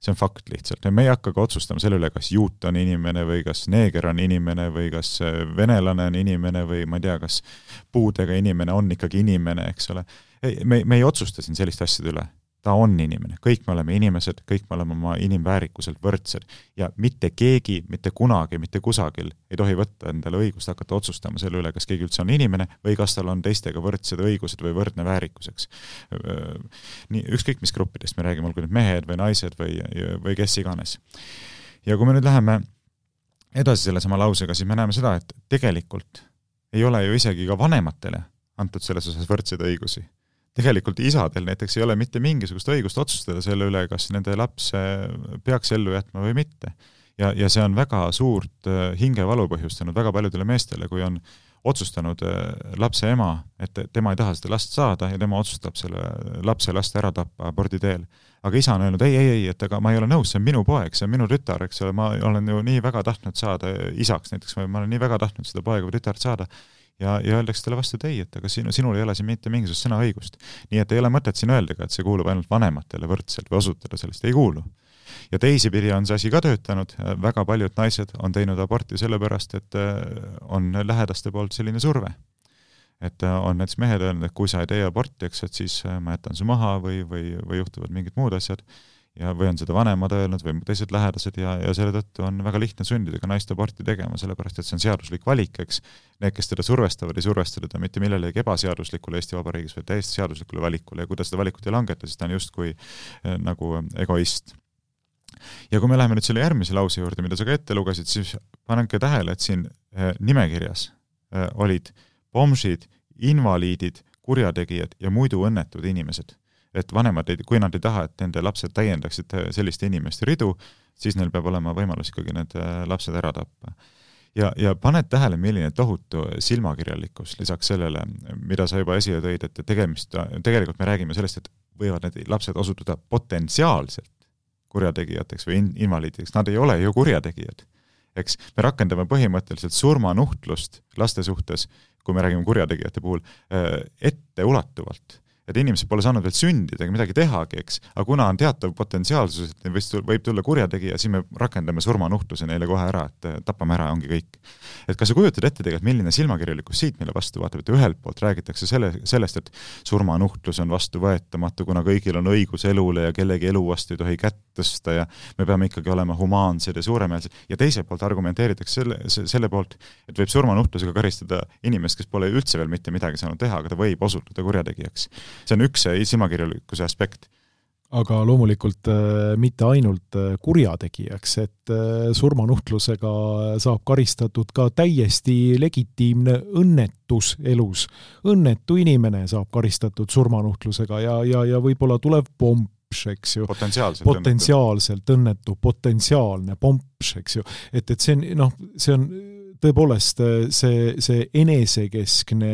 See on fakt lihtsalt. Ja me ei hakka ka otsustama selle üle, kas juut on inimene või kas neeger on inimene või kas venelane on inimene või ma ei tea, kas puudega inimene on ikkagi inimene, eks ole. Ei, me, me ei otsusta siin sellist asjade üle. Ta on inimene. Kõik me oleme inimesed, kõik me oleme oma inimväärikuselt võrdsed ja mitte keegi, mitte kunagi, mitte kusagil ei tohi võtta endale õigust hakata otsustama selle üle, kas keegi üldse on inimene või kas tal on teistega võrdsed õigused või võrdne väärikuseks. Nii, ükskõik mis gruppidest me räägime, olgu nüüd mehed või naised või, või kes iganes. Ja kui me nüüd läheme edasi selle sama lausega, siis me näeme seda, et tegelikult ei ole ju isegi ka vanematele antud selles osas võrdseid õigusi. Tegelikult isadel näiteks ei ole mitte mingisugust õigust otsustada selle üle, kas nende laps peaks ellu jätma või mitte. Ja, ja see on väga suurt hingevalu põhjustanud väga paljudele meestele, kui on otsustanud lapse ema, et tema ei taha seda last saada ja tema otsustab selle lapse last ära tappa abordi teel. Aga isa on öelnud, ei, ei, ei, et aga ma ei ole nõus, see on minu poeg, see on minu tütar, eks ole, ma olen ju nii väga tahtnud saada isaks näiteks, ma olen nii väga tahtnud seda poega või tütart saada. Ja, ja öeldakse talle vastu, et ei, et aga sinu, sinul ei ole siin mitte mingisugust sõnaõigust. Nii et ei ole mõtet siin öeldega, et see kuulub ainult vanematele võrdselt või osutada sellest, ei kuulu. ja teisipidi on see asi ka töötanud, väga paljud naised on teinud aborti sellepärast, et on lähedaste poolt selline surve. Et on näiteks mehed öelnud, et kui sa ei tee aborti, eks, et siis ma jätan su maha või, või, või juhtuvad mingid muud asjad, ja või on seda vanemad öelnud või teised lähedased ja, ja selle tõttu on väga lihtne sundida ka naist aborti tegema, sellepärast et see on seaduslik valik, eks. Need, kes teda survestavad, ei survesta teda mitte millelegi ebaseaduslikule Eesti Vabariigis, või täiesti seaduslikule valikule ja kui ta seda valikut ei langeta, siis ta on justkui eh, nagu egoist. Ja kui me läheme nüüd selle järgmise lause juurde, mida sa ka ette lugesid, siis panenke tähele, et siin eh, nimekirjas eh, olid pomšid, invaliidid, kurjategijad ja muidu õnnetud inimesed. Et vanemad, kui nad ei taha, et nende lapsed täiendaksid selliste inimeste ridu, siis neil peab olema võimalus ikkagi need lapsed ära tappa. Ja, ja paned tähele, milline tohutu silmakirjalikkus lisaks sellele, mida sa juba esile tõid, et tegemist, tegelikult me räägime sellest, et võivad need lapsed osutuda potentsiaalselt kurjategijateks või invaliidideks. Nad ei ole ju kurjategijad. Eks me rakendame põhimõtteliselt surmanuhtlust laste suhtes, kui me räägime kurjategijate puhul, ette ulatuvalt. Et inimesed pole saanud veel sündida ega midagi tehagi, eks, aga kuna on teatav potentsiaalsus, et võib tulla kurjategija, siis me rakendame surmanuhtluse neile kohe ära, et tapame ära, ongi kõik. Et kas sa kujutad ette tegelikult, milline silmakirjalikkus siit meile vastu vaatab, et ühelt poolt räägitakse selle, sellest, et surmanuhtlus on vastu võetamatu, kuna kõigil on õigus elule ja kellegi elu vastu ei tohi kätt tõsta ja me peame ikkagi olema humaansed ja suuremeelsed. Ja teiselt poolt argumenteeritakse selle, selle poolt, et võib surmanuhtlusega karistada inimest, kes pole üldse veel mitte midagi saanud teha, aga ta võib osutuda kurjategijaks. See on üks silmakirjalikkuse aspekt. Aga loomulikult äh, mitte ainult äh, kurjategijaks, et äh, surmanuhtlusega saab karistatud ka täiesti legitiimne õnnetus elus. Õnnetu inimene saab karistatud surmanuhtlusega ja, ja, ja võib-olla tuleb pomps, eks ju. Potentsiaalselt, potentsiaalselt õnnetu, potentsiaalne pomps, eks ju. Et, et see on, noh, see on tõepoolest see, see enesekeskne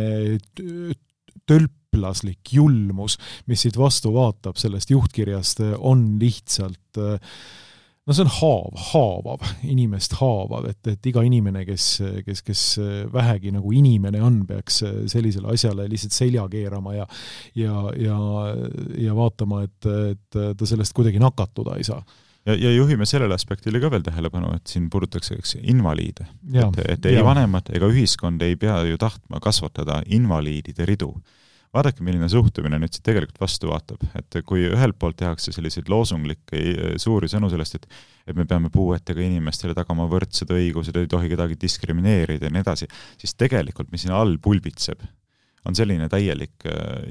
tölp laslik julmus, mis siit vastu vaatab sellest juhtkirjast, on lihtsalt, no see on haav, haavav, inimest haavav, et, et iga inimene, kes, kes, kes vähegi nagu inimene on, peaks sellisele asjale lihtsalt selja keerama ja, ja, ja, ja vaatama, et, et ta sellest kuidagi nakatuda ei saa. Ja, ja juhime sellele aspektile ka veel tähelepanu, et siin puudutakse invaliide. Ja, et, et ei ja. Vanemad ega ühiskond ei pea ju tahtma kasvatada invaliidide ridu. Vaadake, milline suhtumine nüüd siit tegelikult vastu vaatab, et kui ühelt poolt tehakse selliseid loosunglikke suuri sõnu sellest, et, et me peame puuetega inimestele tagama võrdsed õigused, ei tohi kedagi diskrimineerida ja nii edasi, siis tegelikult, mis siin all pulbitseb, on selline täielik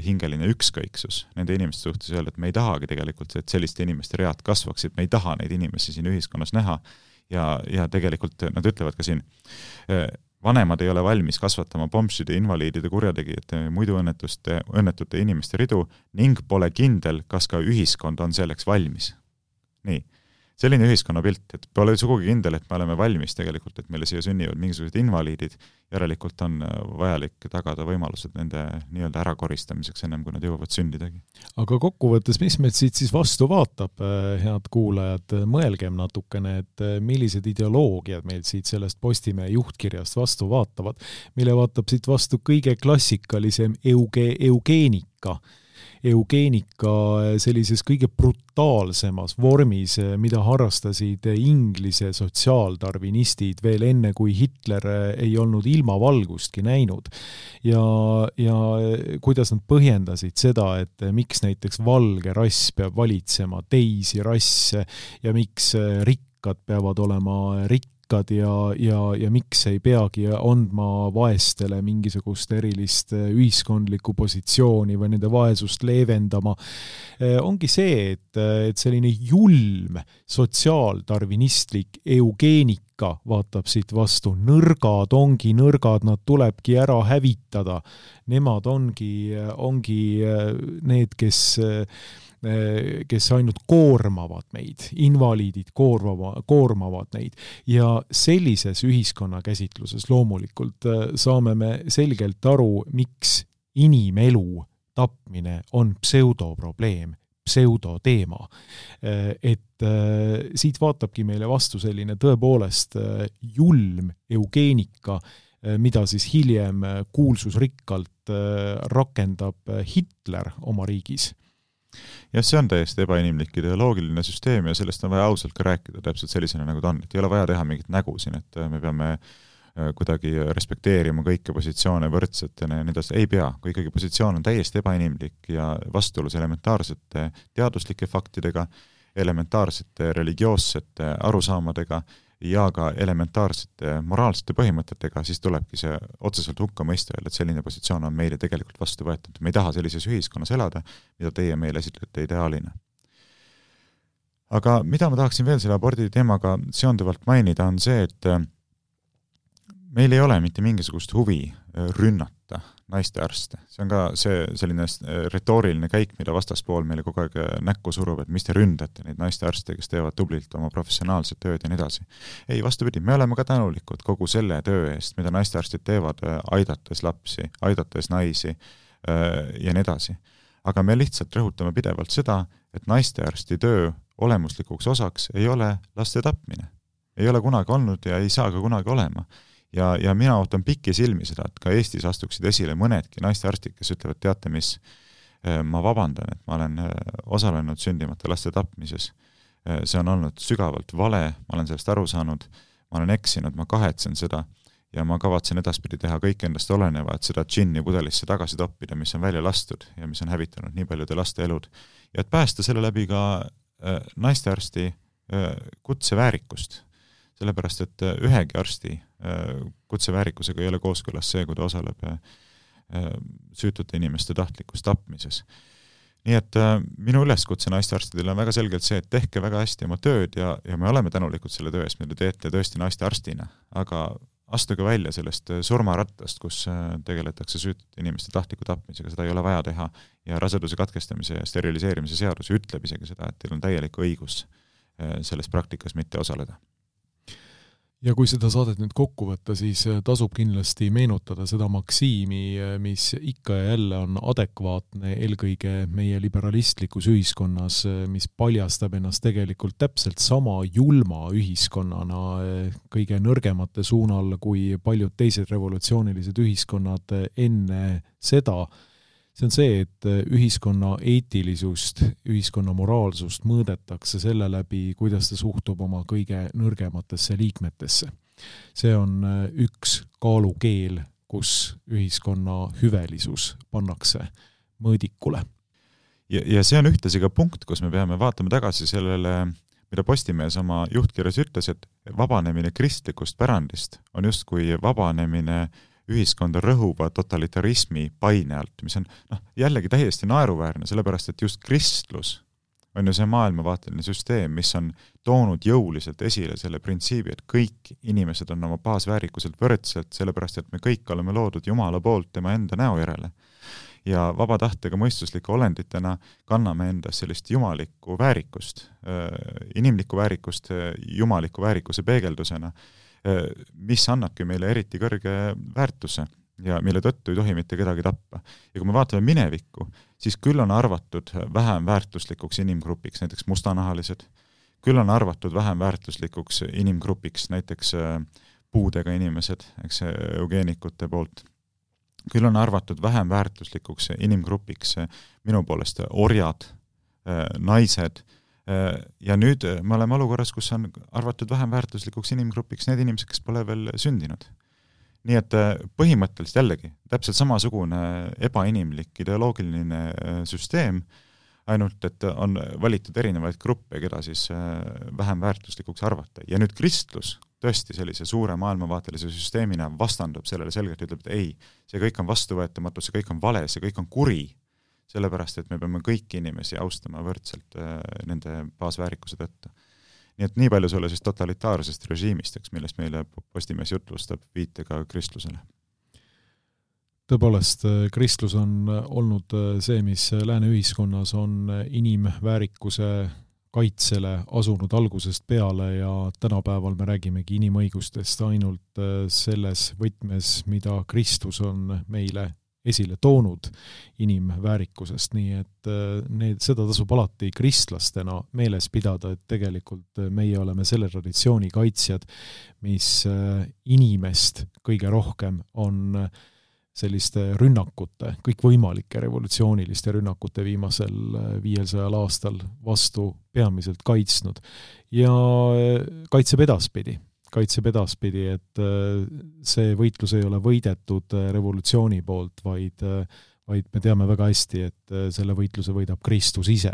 hingeline ükskõiksus nende inimeste suhtes öelda, et me ei tahagi tegelikult, et selliste inimeste read kasvaksid, me ei taha neid inimesi siin ühiskonnas näha ja, ja tegelikult nad ütlevad ka siin, vanemad ei ole valmis kasvatama pomside, invaliidide, kurjategijate, muidu õnnetuste, õnnetute inimeste ridu ning pole kindel, kas ka ühiskond on selleks valmis. Nii, selline ühiskonnapilt, et pole sugugi kindel, et me oleme valmis tegelikult, et meile siia sünnivad mingisugused invaliidid, järelikult on vajalik tagada võimalused nende nii-öelda ärakoristamiseks ennem, kui nad jõuavad sündidagi. Aga kokkuvõttes, mis meid siit siis vastu vaatab, head kuulajad, mõelgem natukene, et millised ideoloogiad meil siit sellest Postimehe juhtkirjast vastu vaatavad, mille vaatab siit vastu kõige klassikalisem euge, eugeenika, eugeenika sellises kõige brutaalsemas vormis, mida harrastasid Inglise sotsiaaldarvinistid veel enne, kui Hitler ei olnud ilmavalgustki näinud. Ja, ja kuidas nad põhjendasid seda, et miks näiteks valge rass peab valitsema teisi rasse ja miks rikkad peavad olema rikkad ja, ja, ja miks ei peagi andma vaestele mingisugust erilist ühiskondlikku positsiooni või nende vaesust leevendama, ongi see, et, et selline julm sotsiaaldarvinistlik eugeenika vaatab siit vastu. Nõrgad ongi nõrgad, nad tulebki ära hävitada. Nemad ongi, ongi need, kes kes ainult koormavad meid, invaliidid koormava, koormavad neid ja sellises ühiskonnakäsitluses loomulikult saame me selgelt aru, miks inimelu tapmine on pseudoprobleem, pseudoteema. Et siit vaatabki meile vastu selline tõepoolest julm eugeenika, mida siis hiljem kuulsusrikkalt rakendab Hitler oma riigis. jah, see on täiesti ebainimlik ideoloogiline süsteem ja sellest on vaja ausalt ka rääkida täpselt sellisena, nagu ta on. Et ei ole vaja teha mingit nägu siin, et me peame kuidagi respekteerima kõiki positsioone võrdsetena ja nii edasi. Ei pea, kui ikkagi positsioon on täiesti ebainimlik ja vastuolus elementaarsete teaduslike faktidega, elementaarsete religioossete arusaamadega ja ka elementaarsete moraalsete põhimõtetega, siis tulebki see otseselt hukka mõista, et selline positsioon on meile tegelikult vastu võetud. Me ei taha sellises ühiskonnas elada, mida teie meile esitlete ideaalina. Aga mida ma tahaksin veel selle abordi teemaga seonduvalt mainida, on see, et meil ei ole mitte mingisugust huvi rünnata naiste arste. See on ka see selline retooriline käik, mida vastaspool meile kogu aeg näkku surub, et mis te ründate neid naiste arste, kes teevad tublilt oma professionaalset tööd ja nii edasi. Ei, vastupidi, me oleme ka tänulikud kogu selle töö eest, mida naistearstid teevad, aidates lapsi, aidates naisi ja nii edasi. Aga me lihtsalt rõhutame pidevalt seda, et naistearsti töö olemuslikuks osaks ei ole laste tapmine. Ei ole kunagi olnud ja ei saa ka kunagi olema. Ja, ja mina ootan pikki silmi seda, et ka Eestis astuksid esile mõnedki naistearstid, kes ütlevad, teate mis, ma vabandan, et ma olen osalenud sündimata laste tapmises. See on olnud sügavalt vale, ma olen sellest aru saanud, ma olen eksinud, ma kahetsen seda ja ma kavatsen edaspidi teha kõik endast oleneva, et seda džinni pudelisse tagasi toppida, mis on välja lastud ja mis on hävitanud nii paljude laste elud. Ja et päästa selle läbi ka naistearsti kutseväärikust. Sellepärast, et ühegi arsti kutseväärikusega ei ole kooskõlas see, kui ta osaleb süütute inimeste tahtlikus tapmises. Nii et minu üleskutse naistearstidele on väga selgelt see, et tehke väga hästi oma tööd ja, ja me oleme tänulikud selle töö eest, mida teete tõesti naistearstina, aga astuge välja sellest surmarattast, kus tegeletakse süütute inimeste tahtliku tapmisega, seda ei ole vaja teha ja raseduse katkestamise ja steriliseerimise seadus ütleb isegi seda, et teil on täielik õigus selles praktikas mitte osaleda. Ja kui seda saadet nüüd kokku võtta, siis tasub kindlasti meenutada seda maksiimi, mis ikka ja jälle on adekvaatne eelkõige meie liberalistlikus ühiskonnas, mis paljastab ennast tegelikult täpselt sama julma ühiskonnana kõige nõrgemate suunal kui paljud teised revolutsioonilised ühiskonnad enne seda. See on see, et ühiskonna eetilisust, ühiskonna moraalsust mõõdetakse selle läbi, kuidas ta suhtub oma kõige nõrgematesse liikmetesse. See on üks kaalukeel, kus ühiskonna hüvelisus pannakse mõõdikule. Ja, ja see on ühtlasi ka punkt, kus me peame vaatama tagasi sellele, mida Postimees oma juhtkirjas ütles, et vabanemine kristlikust pärandist on justkui vabanemine ühiskonda rõhuva totalitarismi paine alt, mis on noh, jällegi täiesti naeruväärne, sellepärast et just kristlus on ju see maailmavaateline süsteem, mis on toonud jõuliselt esile selle printsiibi, et kõik inimesed on oma baasväärikuselt võrdselt, sellepärast et me kõik oleme loodud Jumala poolt tema enda näo järele. Ja vaba tahtega mõistuslike olenditena kanname endas sellist jumalikku väärikust, inimlikku väärikust jumaliku väärikuse peegeldusena, mis annabki meile eriti kõrge väärtuse ja mille tõttu ei tohi mitte kedagi tappa. Ja kui me vaatame minevikku, siis küll on arvatud vähem väärtuslikuks inimgrupiks, näiteks mustanahalised, küll on arvatud vähem väärtuslikuks inimgrupiks, näiteks puudega inimesed, eks eugeenikute poolt, küll on arvatud vähem väärtuslikuks inimgrupiks minu poolest orjad, naised. Ja nüüd me oleme olukorras, kus on arvatud vähem väärtuslikuks inimgrupiks need inimesed, kes pole veel sündinud. Nii et põhimõtteliselt jällegi täpselt samasugune ebainimlik ideoloogiline süsteem, ainult et on valitud erinevaid gruppe, keda siis vähem väärtuslikuks arvata. Ja nüüd kristlus tõesti sellise suure maailmavaatelise süsteemina vastandub sellele selgelt, ütleb, et ei, see kõik on vastuvõetamatu, see kõik on vale, see kõik on kuri. Sellepärast, et me peame kõiki inimesi austama võrdselt nende baasväärikuse tõttu. Nii et nii palju sulle siis totalitaarsest režiimist, millest meile Postimees jutlustab viitega kristlusele. Tõepoolest, kristlus on olnud see, mis lääne ühiskonnas on inimväärikuse kaitsele asunud algusest peale ja tänapäeval me räägimegi inimõigustest ainult selles võtmes, mida Kristus on meile esile toonud inimväärikusest, nii et need, seda tasub alati kristlastena meeles pidada, et tegelikult meie oleme selle traditsiooni kaitsjad, mis inimest kõige rohkem on selliste rünnakute, kõikvõimalike revolutsiooniliste rünnakute viimasel viiesajal aastal vastu peamiselt kaitsnud. Ja kaitseb edaspidi, kaitseb edaspidi, et see võitlus ei ole võidetud revolutsiooni poolt, vaid, vaid me teame väga hästi, et selle võitluse võidab Kristus ise.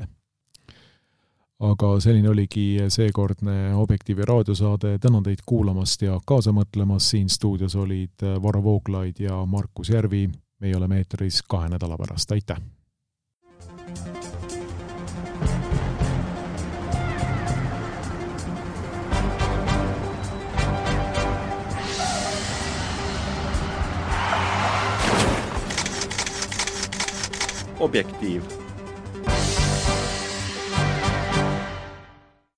Aga selline oligi seekordne Objektiivi raadiosaade. Tänan teid kuulamast ja kaasa mõtlemas. Siin stuudios olid Varro Vooglaid ja Markus Järvi. Meie oleme eetris kahe nädala pärast. Aitäh! Objektiiv.